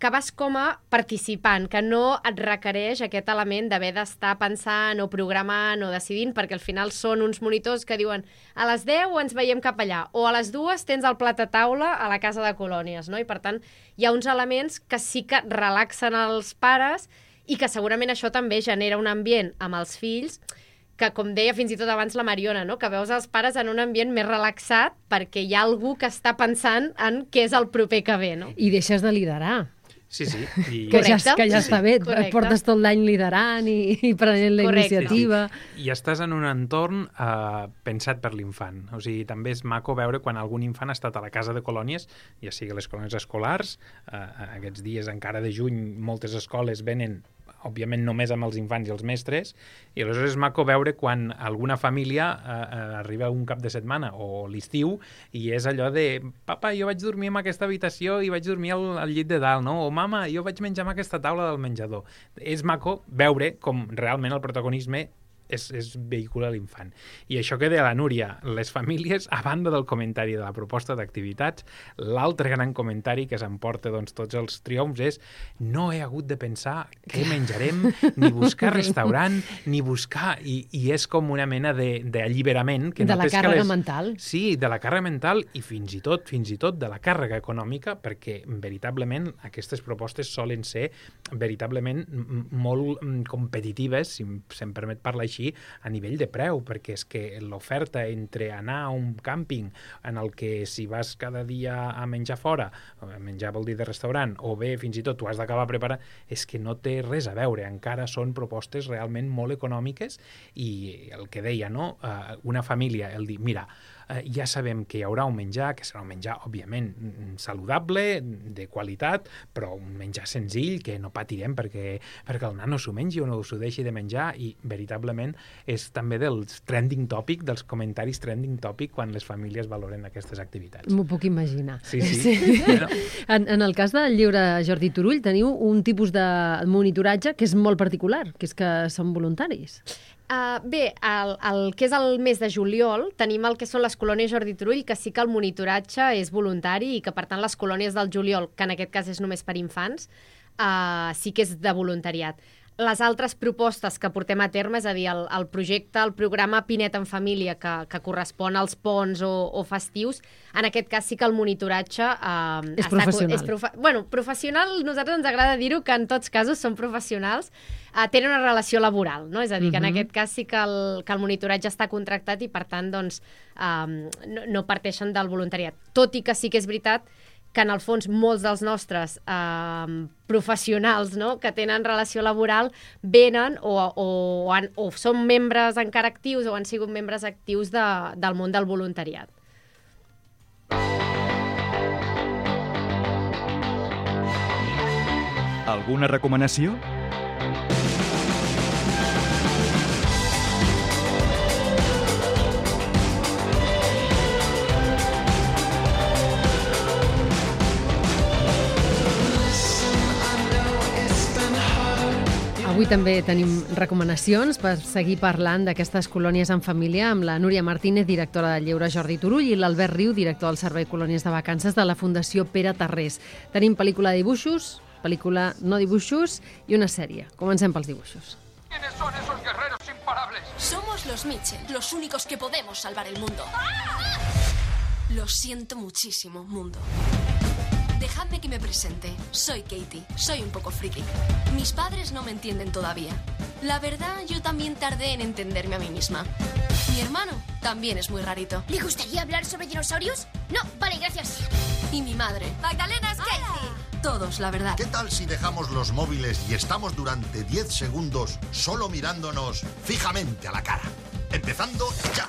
que vas com a participant, que no et requereix aquest element d'haver d'estar pensant o programant o decidint, perquè al final són uns monitors que diuen a les deu ens veiem cap allà, o a les dues tens el plat a taula a la casa de colònies, no? I per tant hi ha uns elements que sí que relaxen els pares i que segurament això també genera un ambient amb els fills que, com deia fins i tot abans la Mariona, no? Que veus els pares en un ambient més relaxat perquè hi ha algú que està pensant en què és el proper que ve, no? I deixes de liderar. Sí, sí. I... Que ja, que ja sí, està bé, correcte. Portes tot l'any liderant i, i prenent la Correcte. iniciativa. Sí, sí. I estàs en un entorn uh, pensat per l'infant. O sigui, també és maco veure quan algun infant ha estat a la casa de colònies, ja sigui les colònies escolars, uh, aquests dies encara de juny moltes escoles venen òbviament només amb els infants i els mestres, i aleshores és maco veure quan alguna família eh, arriba un cap de setmana o l'estiu i és allò de papa, jo vaig dormir en aquesta habitació i vaig dormir al, al llit de dalt, no? O mama, jo vaig menjar en aquesta taula del menjador. És maco veure com realment el protagonisme és, és vehicula l'infant. I això que deia la Núria, les famílies, a banda del comentari de la proposta d'activitats, l'altre gran comentari que s'emporta doncs, tots els triomfs és no he hagut de pensar què menjarem, ni buscar restaurant, ni buscar... I, i és com una mena d'alliberament. Que de la càrrega les... mental. Sí, de la càrrega mental i fins i tot fins i tot de la càrrega econòmica, perquè veritablement aquestes propostes solen ser veritablement molt competitives, si se'm permet parlar així, a nivell de preu, perquè és que l'oferta entre anar a un càmping en el que si vas cada dia a menjar fora, menjar vol dir de restaurant, o bé fins i tot tu has d'acabar preparant, és que no té res a veure, encara són propostes realment molt econòmiques i el que deia, no? Una família, el dir, mira, ja sabem que hi haurà un menjar, que serà un menjar, òbviament, saludable, de qualitat, però un menjar senzill, que no patirem perquè, perquè el nano s'ho mengi o no s'ho deixi de menjar, i veritablement és també dels trending topic, dels comentaris trending topic quan les famílies valoren aquestes activitats. M'ho puc imaginar. Sí, sí. sí. Bueno. En, en el cas del llibre Jordi Turull teniu un tipus de monitoratge que és molt particular, que és que són voluntaris. Uh, bé, el, el que és el mes de juliol tenim el que són les colònies Jordi Turull, que sí que el monitoratge és voluntari i que, per tant, les colònies del juliol, que en aquest cas és només per infants, uh, sí que és de voluntariat. Les altres propostes que portem a terme, és a dir, el, el projecte, el programa Pinet en Família, que, que correspon als ponts o, o festius, en aquest cas sí que el monitoratge... Eh, és professional. És profe bueno, professional, nosaltres ens agrada dir-ho, que en tots casos són professionals, eh, tenen una relació laboral, no? És a dir, que en Uh-huh. aquest cas sí que el, que el monitoratge està contractat i, per tant, doncs, eh, no, no parteixen del voluntariat. Tot i que sí que és veritat que en el fons molts dels nostres eh, professionals, no?, que tenen relació laboral venen o, o, han, o són membres encara actius o han sigut membres actius de, del món del voluntariat. Alguna recomanació? Avui també tenim recomanacions per seguir parlant d'aquestes colònies en família amb la Núria Martínez, directora del llibre Jordi Turull, i l'Albert Riu, director del Servei Colònies de Vacances de la Fundació Pere Tarrés. Tenim pel·lícula de dibuixos, pel·lícula no dibuixos i una sèrie. Comencem pels dibuixos. ¿Quiénes son esos guerreros imparables? Somos los Mitchell, los únicos que podemos salvar el mundo. Lo siento muchísimo, mundo. Dejadme que me presente. Soy Katie, soy un poco friki. Mis padres no me entienden todavía. La verdad, yo también tardé en entenderme a mí misma. Mi hermano también es muy rarito. ¿Le gustaría hablar sobre dinosaurios? No, vale, gracias. Y mi madre. Magdalena es Katie. Todos, la verdad. ¿Qué tal si dejamos los móviles y estamos durante diez segundos solo mirándonos fijamente a la cara? Empezando ya.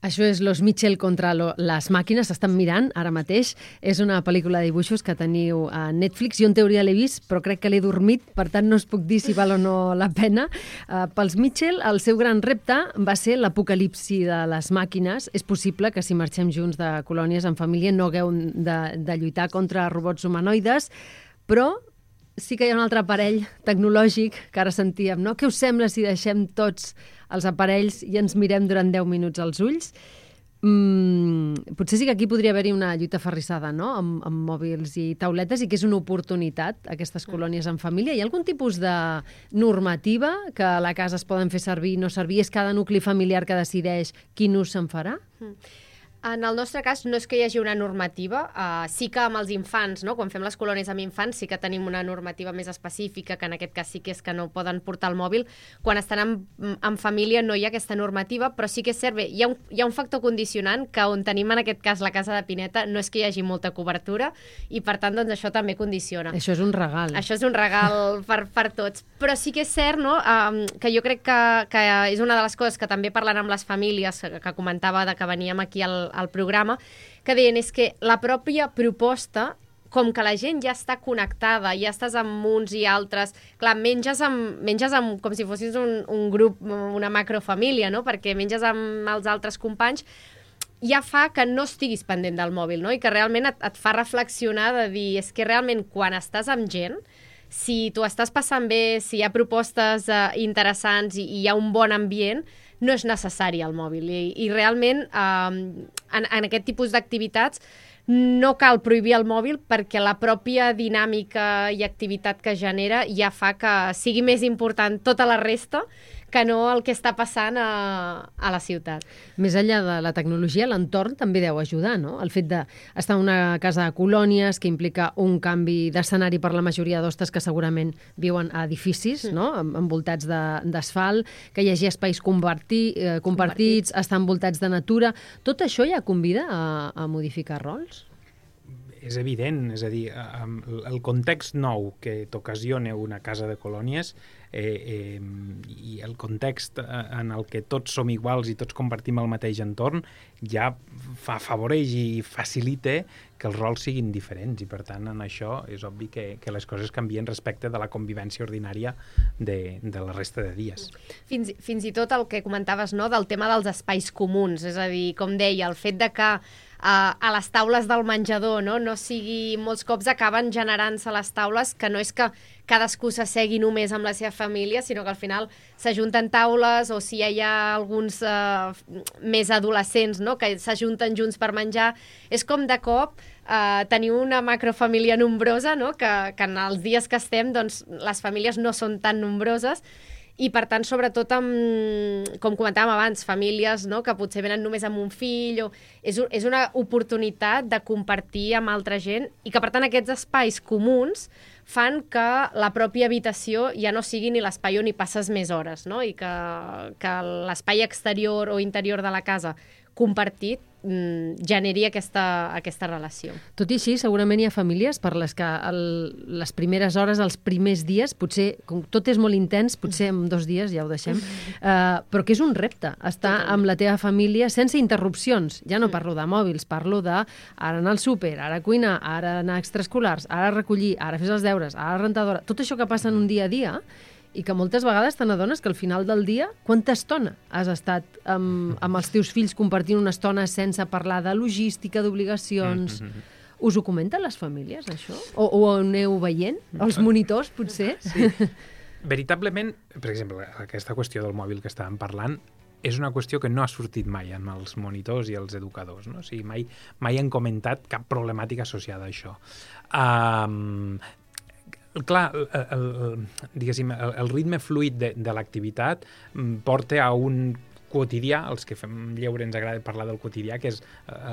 Això és Los Mitchell contra lo, les màquines. Estan mirant ara mateix. És una pel·lícula de dibuixos que teniu a Netflix. Jo en teoria l'he vist, però crec que l'he dormit, per tant no us puc dir si val o no la pena. Uh, pels Mitchell, el seu gran repte va ser l'apocalipsi de les màquines. És possible que si marxem junts de colònies en família no hagueu de, de lluitar contra robots humanoides, però sí que hi ha un altre aparell tecnològic que ara sentíem, no? Què us sembla si deixem tots els aparells i ens mirem durant deu minuts als ulls? Mm, potser sí que aquí podria haver-hi una lluita ferrissada, no?, amb, amb mòbils i tauletes, i que és una oportunitat, aquestes colònies en família. Hi ha algun tipus de normativa que a la casa es poden fer servir i no servir? És cada nucli familiar que decideix quin ús se'n farà? Mm. En el nostre cas no és que hi hagi una normativa, uh, sí que amb els infants, no? Quan fem les colònies amb infants sí que tenim una normativa més específica, que en aquest cas sí que és que no poden portar el mòbil. Quan estan en, en família no hi ha aquesta normativa, però sí que és cert, bé, hi ha, un, hi ha un factor condicionant que on tenim en aquest cas la casa de Pineta no és que hi hagi molta cobertura i per tant doncs això també condiciona. Això és un regal. Això és un regal per, per tots. Però sí que és cert, no?, um, que jo crec que, que és una de les coses que també parlant amb les famílies, que, que comentava de que veníem aquí al al programa, que deien és que la pròpia proposta, com que la gent ja està connectada, ja estàs amb uns i altres, clar, menges, amb, menges amb, com si fossis un, un grup, una macrofamília, no?, perquè menges amb els altres companys, ja fa que no estiguis pendent del mòbil, no?, i que realment et, et fa reflexionar de dir, és que realment quan estàs amb gent, si tu estàs passant bé, si hi ha propostes uh, interessants i, i hi ha un bon ambient, no és necessari el mòbil. I, i realment, um, en, en aquest tipus d'activitats, no cal prohibir el mòbil perquè la pròpia dinàmica i activitat que genera ja fa que sigui més important tota la resta que no el que està passant a, a la ciutat. Més enllà de la tecnologia, l'entorn també deu ajudar, no? El fet d'estar en una casa de colònies que implica un canvi d'escenari per la majoria d'hostes que segurament viuen a edificis, mm. no? Envoltats d'asfalt, que hi hagi espais compartir, eh, compartits, estar envoltats de natura. Tot això ja convida a, a modificar rols? És evident, és a dir, el context nou que t'ocasiona una casa de colònies eh, eh, i el context en el que tots som iguals i tots compartim el mateix entorn ja fa, afavoreix i facilita que els rols siguin diferents i per tant en això és obvi que, que les coses canvien respecte de la convivència ordinària de, de la resta de dies. Fins, fins i tot el que comentaves, no?, del tema dels espais comuns, és a dir, com deia, el fet de que Uh, a les taules del menjador, no? No sigui... Molts cops acaben generant-se les taules que no és que cadascú s'assegui només amb la seva família, sinó que al final s'ajunten taules o si hi ha alguns uh, més adolescents, no?, que s'ajunten junts per menjar. És com de cop uh, tenir una macrofamília nombrosa, no?, que, que en els dies que estem doncs, les famílies no són tan nombroses. I, per tant, sobretot, amb, com comentàvem abans, famílies, no?, que potser venen només amb un fill. O... És, un, és una oportunitat de compartir amb altra gent i que, per tant, aquests espais comuns fan que la pròpia habitació ja no sigui ni l'espai on hi passes més hores, no?, i que, que l'espai exterior o interior de la casa compartit mm, generi aquesta, aquesta relació. Tot i així, segurament hi ha famílies per les que el, les primeres hores, els primers dies, potser, com tot és molt intens, potser en dos dies ja ho deixem, uh, però que és un repte, estar amb la teva família sense interrupcions. Ja no parlo de mòbils, parlo de ara anar al súper, ara cuinar, ara anar a extraescolars, ara recollir, ara fer els deures, ara rentadora, tot això que passa en un dia a dia i que moltes vegades te n'adones que al final del dia, quanta estona has estat amb, amb els teus fills compartint una estona sense parlar de logística, d'obligacions... Mm-hmm. Us ho comenten les famílies, això? O, o ho aneu veient? Els monitors, potser? Sí. Veritablement, per exemple, aquesta qüestió del mòbil que estàvem parlant és una qüestió que no ha sortit mai amb els monitors i els educadors, no? O sigui, mai, mai han comentat cap problemàtica associada a això. Um, Clar, el, el, diguéssim, el, el ritme fluid de, de l'activitat porta a un quotidià, els que fem lleure ens agrada parlar del quotidià, que és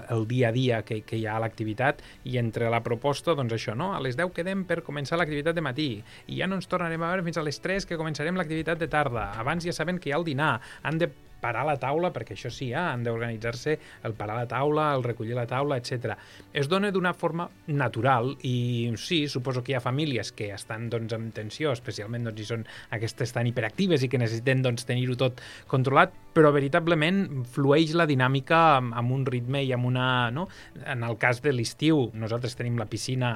el dia a dia que, que hi ha a l'activitat, i entre la proposta, doncs això, no? A les deu quedem per començar l'activitat de matí, i ja no ens tornarem a veure fins a les tres que començarem l'activitat de tarda. Abans ja saben que hi ha el dinar, han de parar la taula, perquè això sí, eh? Han d'organitzar-se el parar la taula, el recollir la taula, etcètera. Es dona d'una forma natural i sí, suposo que hi ha famílies que estan doncs, en tensió, especialment doncs, si són aquestes tan hiperactives i que necessiten doncs, tenir-ho tot controlat, però veritablement flueix la dinàmica amb, amb un ritme i amb una... No? En el cas de l'estiu, nosaltres tenim la piscina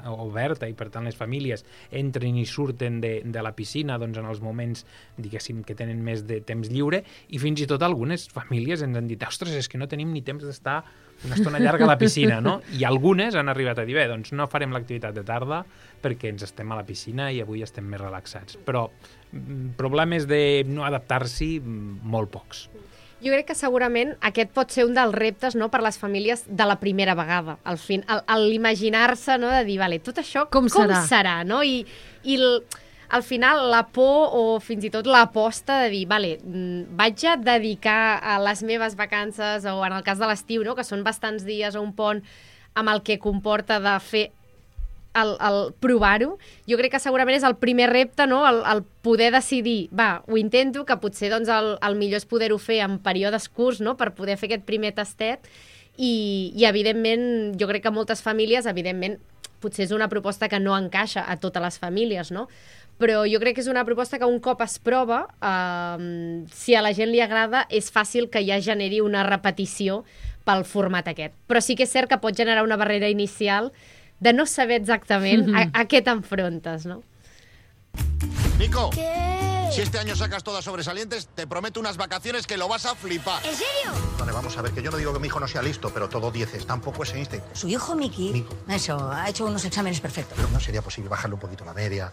eh, oberta i per tant les famílies entren i surten de, de la piscina doncs, en els moments, diguéssim, que tenen més de temps lliure. I fins i tot algunes famílies ens han dit ostres, és que no tenim ni temps d'estar una estona llarga a la piscina, no? I algunes han arribat a dir, bé, doncs no farem l'activitat de tarda perquè ens estem a la piscina i avui estem més relaxats. Però problemes de no adaptar-s'hi, molt pocs. Jo crec que segurament aquest pot ser un dels reptes, no?, per les famílies de la primera vegada. Al fin, l'imaginar-se, no?, de dir, vale, tot això com, com serà? serà, no? I, i el... al final la por o fins i tot l'aposta de dir, vale, vaig a dedicar a les meves vacances o en el cas de l'estiu, no?, que són bastants dies o un pont amb el que comporta de fer el, el provar-ho, jo crec que segurament és el primer repte, no?, el, el poder decidir, va, ho intento, que potser doncs, el, el millor és poder-ho fer en períodes curts, no?, per poder fer aquest primer tastet i, i evidentment, jo crec que moltes famílies, evidentment, potser és una proposta que no encaixa a totes les famílies, no?, però jo crec que és una proposta que un cop es prova, eh, si a la gent li agrada, és fàcil que ja generi una repetició pel format aquest. Però sí que és cert que pot generar una barrera inicial de no saber exactament a, a què t'enfrontes, no? Nico! ¿Qué? Si este año sacas todas sobresalientes, te prometo unas vacaciones que lo vas a flipar. ¿En serio? Vale, vamos a ver, que yo no digo que mi hijo no sea listo, pero todo dieces, tampoco es Einstein. Su hijo, Miki, Nico. eso, ha hecho unos exámenes perfectos. Pero no sería posible bajarle un poquito la media.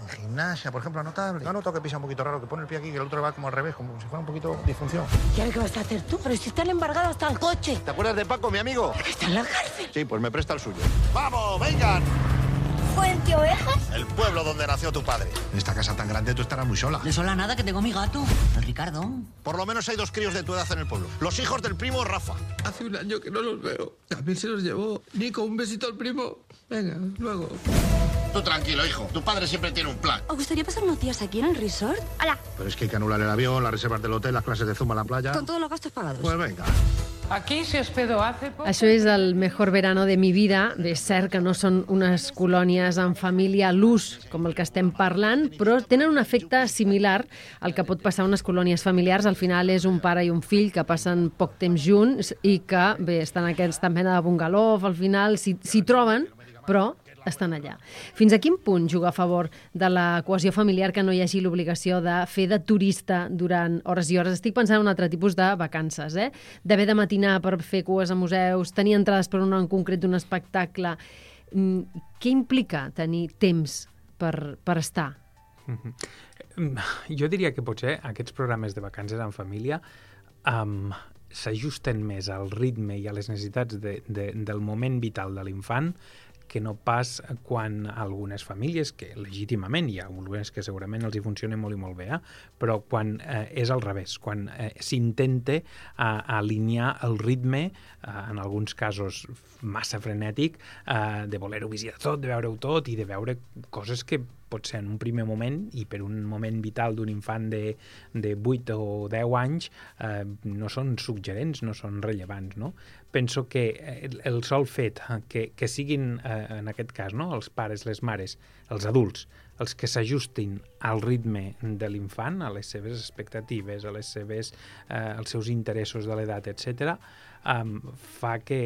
En gimnasia, por ejemplo, notable. No noto que pisa un poquito raro, que pone el pie aquí y el otro va como al revés, como si fuera un poquito disfunción. ¿Y ahora qué vas a hacer tú? Pero si están embargados hasta el coche. ¿Te acuerdas de Paco, mi amigo? Que está en la cárcel. Sí, pues me presta el suyo. ¡Vamos, vengan! ¿Fuente Ovejas? El pueblo donde nació tu padre. En esta casa tan grande tú estarás muy sola. De sola nada, que tengo mi gato, el Ricardo. Por lo menos hay dos críos de tu edad en el pueblo. Los hijos del primo Rafa. Hace un año que no los veo. También se los llevó. Nico, un besito al primo. Venga, luego. Tú tranquilo, hijo. Tu padre siempre tiene un plan. ¿Os gustaría pasar unos días aquí en el resort? Hola. Pero es que hay que anular el avión, las reservas del hotel, las clases de zumba en la playa. Con todos los gastos pagados. Pues venga. Aquí se hospedó hace poco... Això és el mejor verano de mi vida. Bé, és cert que no són unes colònies en família a l'ús, com el que estem parlant, però tenen un efecte similar al que pot passar a unes colònies familiars. Al final és un pare i un fill que passen poc temps junts i que, bé, estan en aquesta mena de bungalou, al final s'hi troben, però estan allà. Fins a quin punt juga a favor de la cohesió familiar que no hi hagi l'obligació de fer de turista durant hores i hores? Estic pensant en un altre tipus de vacances, eh? D'haver de matinar per fer cues a museus, tenir entrades per un en concret d'un espectacle. Què implica tenir temps per, per estar? Jo diria que potser aquests programes de vacances en família um, s'ajusten més al ritme i a les necessitats de, de, del moment vital de l'infant que no pas quan algunes famílies, que legítimament hi ha algunes que segurament els hi funcionen molt i molt bé, eh? Però quan eh, és al revés, quan eh, s'intenta eh, alinear el ritme, eh, en alguns casos massa frenètic, eh, de voler-ho visitar tot, de veure-ho tot i de veure coses que potser en un primer moment i per un moment vital d'un infant de, de vuit o deu anys eh, no són suggerents, no són rellevants, no? Penso que el, el sol fet que, que siguin, eh, en aquest cas, no? Els pares, les mares, els adults, els que s'ajustin al ritme de l'infant, a les seves expectatives, a les seves, eh, als seus interessos de l'edat, etcètera, um, fa que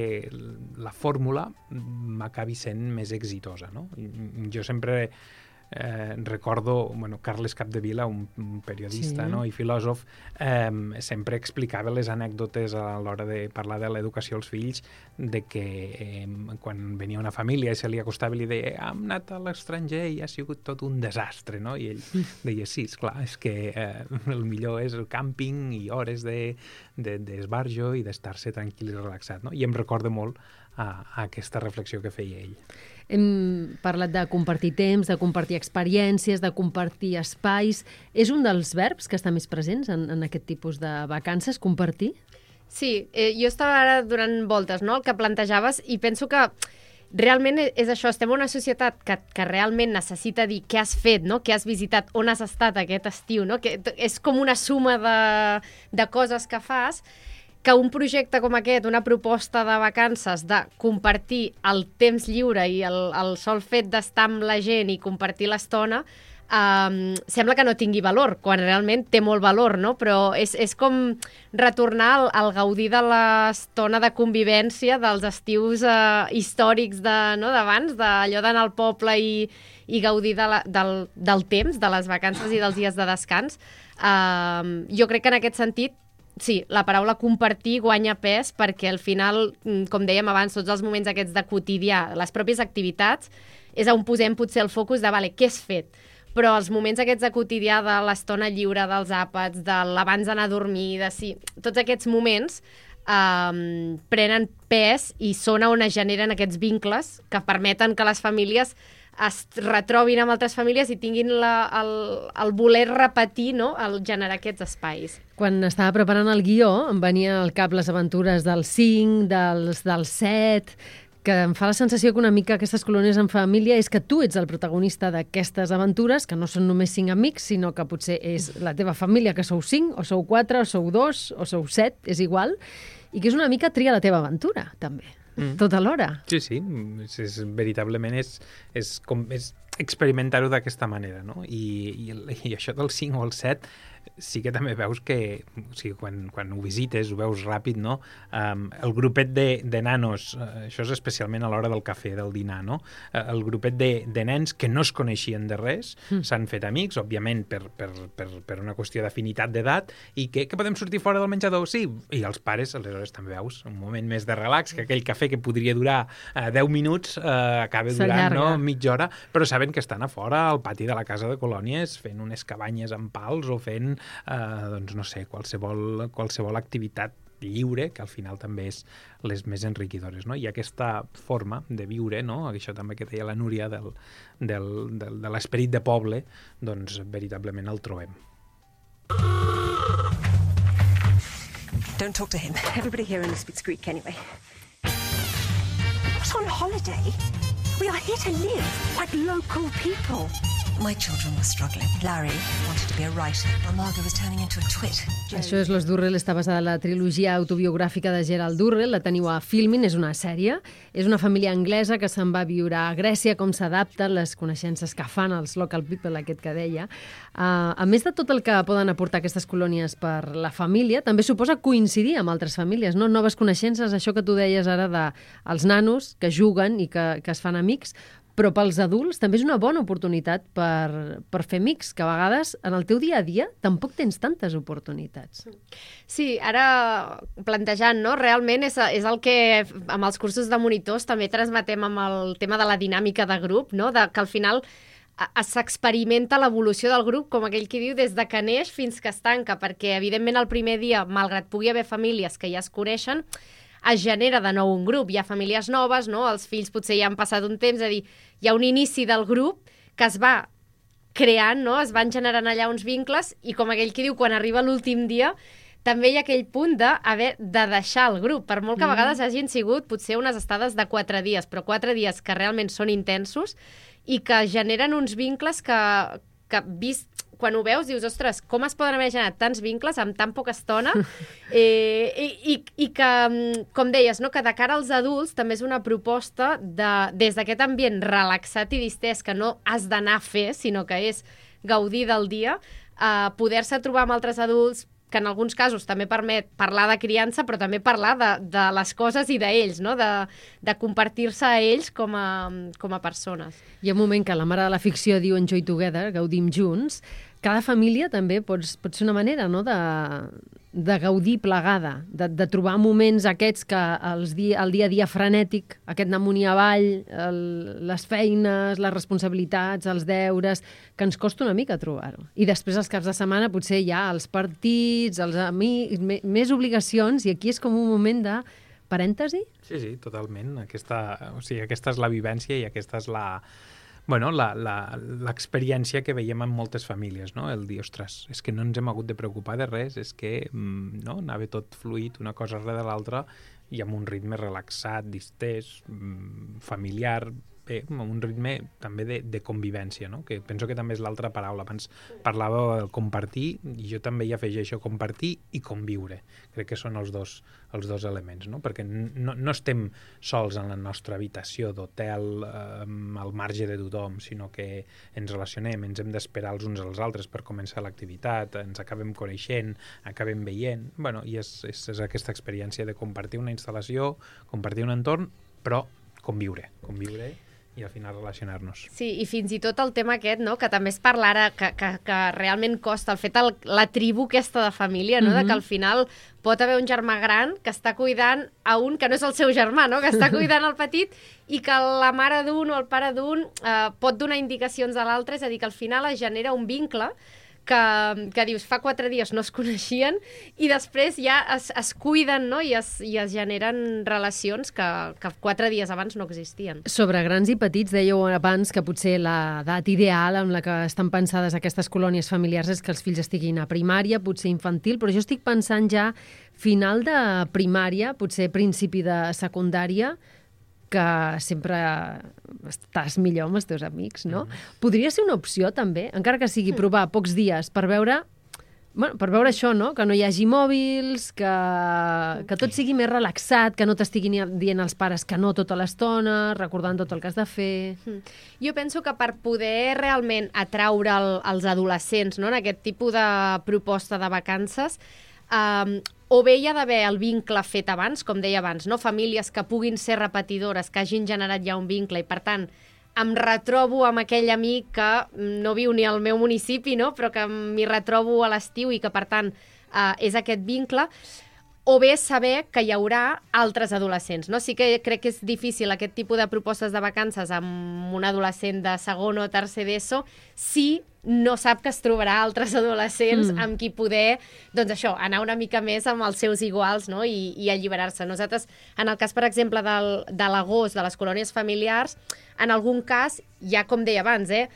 la fórmula m'acabi sent més exitosa, no? Jo sempre Eh, recordo, bueno, Carles Capdevila, un, un periodista, sí, no? I filòsof, eh, sempre explicava les anècdotes a l'hora de parlar de l'educació als fills, de que eh, quan venia una família i se li acostava i li deia hem anat a l'estranger i ha sigut tot un desastre, no? I ell deia sí, esclar, és que eh, el millor és el càmping i hores d'esbarjo de, de, i d'estar-se tranquil i relaxat, no? I em recorda molt a, a aquesta reflexió que feia ell. Hem parlat de compartir temps, de compartir experiències, de compartir espais. És un dels verbs que està més presents en, en aquest tipus de vacances, compartir? Sí, eh, jo estava ara donant voltes, no?, el que plantejaves, i penso que realment és això, estem en una societat que, que realment necessita dir què has fet, no?, què has visitat, on has estat aquest estiu, no?, que és com una suma de, de coses que fas, que un projecte com aquest, una proposta de vacances, de compartir el temps lliure i el, el sol fet d'estar amb la gent i compartir l'estona, um, sembla que no tingui valor, quan realment té molt valor, no? Però és, és com retornar al, al gaudir de l'estona de convivència dels estius uh, històrics de, no, d'abans, d'allò d'anar al poble i, i gaudir de la, del, del temps, de les vacances i dels dies de descans. Um, jo crec que en aquest sentit sí, la paraula compartir guanya pes perquè al final, com dèiem abans, tots els moments aquests de quotidià, les pròpies activitats, és on posem potser el focus de, vale, què has fet? Però els moments aquests de quotidià, de l'estona lliure, dels àpats, de l'abans d'anar a dormir, de sí, tots aquests moments um, prenen pes i són on es generen aquests vincles que permeten que les famílies es retrobin amb altres famílies i tinguin la, el, el voler repetir, no?, el generar aquests espais. Quan estava preparant el guió em venia al cap les aventures del cinc, dels, del set, que em fa la sensació que una mica aquestes colònies en família és que tu ets el protagonista d'aquestes aventures, que no són només cinc amics, sinó que potser és la teva família, que sou cinc, o sou quatre, o sou dos, o sou set, és igual, i que és una mica tria la teva aventura, també. Mm. Tot alhora. Sí, sí, és, és, veritablement és, és, com, és experimentar-ho d'aquesta manera, no? I, i, i això del cinc o el set sí que també veus que, o sigui, quan, quan ho visites, ho veus ràpid, no? Um, el grupet de, de nanos, uh, això és especialment a l'hora del cafè, del dinar, no? Uh, el grupet de, de nens que no es coneixien de res, mm. s'han fet amics, òbviament per, per, per, per una qüestió d'afinitat d'edat, i que, que podem sortir fora del menjador? Sí, i els pares, aleshores també veus un moment més de relax, que aquell cafè que podria durar uh, deu minuts uh, acaba durant no, mitja hora, però saben que estan a fora al pati de la casa de colònies fent unes cabanyes amb pals o fent Uh, doncs no sé, qualsevol, qualsevol activitat lliure, que al final també és les més enriquidores, no? I aquesta forma de viure, no? Això també que deia la Núria del, del, del, de l'esperit de poble, doncs veritablement el trobem. Don't talk to him. Everybody here only speaks Greek anyway. Not on holiday. We are here to live like local people. My children were struggling. Larry wanted to be a writer, while Margot was turning into a twit. Això és Los Durrell, està basada en la trilogia autobiogràfica de Gerald Durrell, la teniu a Filmin, és una sèrie. És una família anglesa que se'n va a viure a Grècia, com s'adapten les coneixences que fan els local people, aquest que deia. Uh, a més de tot el que poden aportar aquestes colònies per la família, també suposa coincidir amb altres famílies, no? Noves coneixences, això que tu deies ara dels nanos que juguen i que, que es fan amics, però pels adults també és una bona oportunitat per, per fer amics, que a vegades en el teu dia a dia tampoc tens tantes oportunitats. Sí, ara plantejant, no? Realment és, és el que amb els cursos de monitors també transmetem amb el tema de la dinàmica de grup, no? De, que al final s'experimenta l'evolució del grup, com aquell que diu, des de que neix fins que es tanca, perquè evidentment el primer dia, malgrat pugui haver famílies que ja es coneixen, es genera de nou un grup, hi ha famílies noves, no? Els fills potser ja han passat un temps, és a dir, hi ha un inici del grup que es va creant, no? Es van generant allà uns vincles i com aquell que diu, quan arriba l'últim dia, també hi ha aquell punt d'haver de deixar el grup, per molt que a vegades hagin sigut potser unes estades de quatre dies, però quatre dies que realment són intensos i que generen uns vincles que, que vist quan ho veus, dius, ostres, com es poden haver generat tants vincles amb tan poca estona? eh, i, i, I que, com deies, no, que de cara als adults també és una proposta de, des d'aquest ambient relaxat i distès que no has d'anar a fer, sinó que és gaudir del dia, eh, poder-se trobar amb altres adults, que en alguns casos també permet parlar de criança, però també parlar de, de les coses i d'ells, no? de, de compartir-se a ells com a, com a persones. Hi ha un moment que la mare de la ficció diu Enjoy Together, gaudim junts. Cada família també pots, pot ser una manera, no?, de, de gaudir plegada, de, de trobar moments aquests que els di, el dia a dia frenètic, aquest anar amunt i avall, el, les feines, les responsabilitats, els deures, que ens costa una mica trobar-ho. I després els caps de setmana potser hi ha els partits, els amics, me, més obligacions, i aquí és com un moment de parèntesi? Sí, sí, totalment. Aquesta, o sigui, aquesta és la vivència i aquesta és la... Bueno, l'experiència que veiem en moltes famílies, no? El dir, ostres, és que no ens hem hagut de preocupar de res, és que no, anava tot fluït, una cosa darrere l'altra, i amb un ritme relaxat, distès, familiar, bé, amb un ritme també de, de convivència, no? Que penso que també és l'altra paraula. Abans parlava del compartir, i jo també hi afegeixo compartir i conviure. Crec que són els dos, els dos elements, no? Perquè no, no estem sols en la nostra habitació d'hotel eh, al marge de tothom, sinó que ens relacionem, ens hem d'esperar els uns als altres per començar l'activitat, ens acabem coneixent, acabem veient, bueno, i és, és, és aquesta experiència de compartir una instal·lació, compartir un entorn, però conviure, conviure i al final relacionar-nos. Sí, i fins i tot el tema aquest, no?, que també es parla ara, que, que, que realment costa, el fet, el, la tribu aquesta de família, no?, mm-hmm. de que al final pot haver un germà gran que està cuidant a un que no és el seu germà, no?, que està cuidant el petit i que la mare d'un o el pare d'un eh, pot donar indicacions a l'altre, és a dir, que al final es genera un vincle que, que dius, fa quatre dies no es coneixien i després ja es, es cuiden, no?, i es, i es generen relacions que, que quatre dies abans no existien. Sobre grans i petits, dèieu abans que potser l'edat ideal amb la que estan pensades aquestes colònies familiars és que els fills estiguin a primària, potser infantil, però jo estic pensant ja final de primària, potser principi de secundària, que sempre estàs millor amb els teus amics, no? Mm. Podria ser una opció, també, encara que sigui provar pocs dies, per veure Bueno, per veure això, no? Que no hi hagi mòbils, que, que tot sigui més relaxat, que no t'estiguin dient els pares que no tota l'estona, recordant tot el que has de fer... Mm. Jo penso que per poder realment atraure el, els adolescents, no?, en aquest tipus de proposta de vacances, um, o bé hi ha d'haver el vincle fet abans, com deia abans, no? Famílies que puguin ser repetidores, que hagin generat ja un vincle i, per tant, em retrobo amb aquell amic que no viu ni al meu municipi, no?, però que m'hi retrobo a l'estiu i que, per tant, eh, és aquest vincle, o bé saber que hi haurà altres adolescents, no? Sí que crec que és difícil aquest tipus de propostes de vacances amb un adolescent de segon o tercer d'ESO si no sap que es trobarà altres adolescents mm. amb qui poder, doncs això, anar una mica més amb els seus iguals, no?, i, i alliberar-se. Nosaltres, en el cas, per exemple, del, de l'agost, de les colònies familiars, en algun cas, ja com deia abans, eh,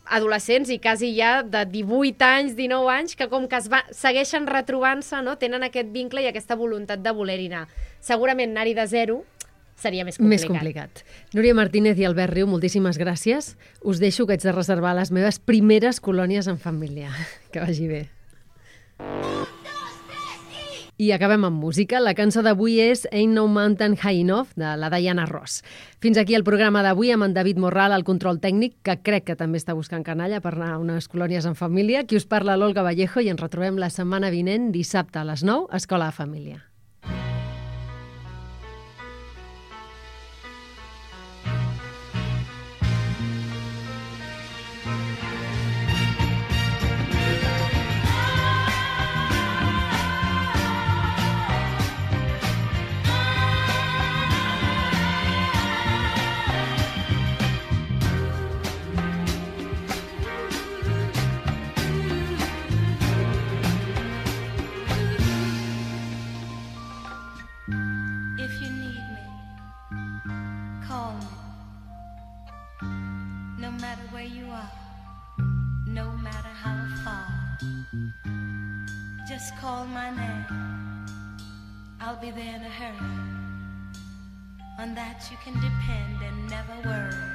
adolescents i quasi ja de divuit anys, dinou anys, que com que es va, segueixen retrobant-se, no?, tenen aquest vincle i aquesta voluntat de voler-hi anar. Segurament anar-hi de zero seria més complicat. Més complicat. Núria Martínez i Albert Riu, moltíssimes gràcies. Us deixo que haig de reservar les meves primeres colònies en família. Que vagi bé. I acabem amb música. La cançó d'avui és Ain't No Mountain High Enough, de la Diana Ross. Fins aquí el programa d'avui amb en David Morral, al control tècnic, que crec que també està buscant canalla per anar a unes colònies en família. Qui us parla, l'Olga Vallejo, i ens retrobem la setmana vinent, dissabte a les nou, a Escola de Família. Just call my name, I'll be there in a hurry. On that you can depend and never worry.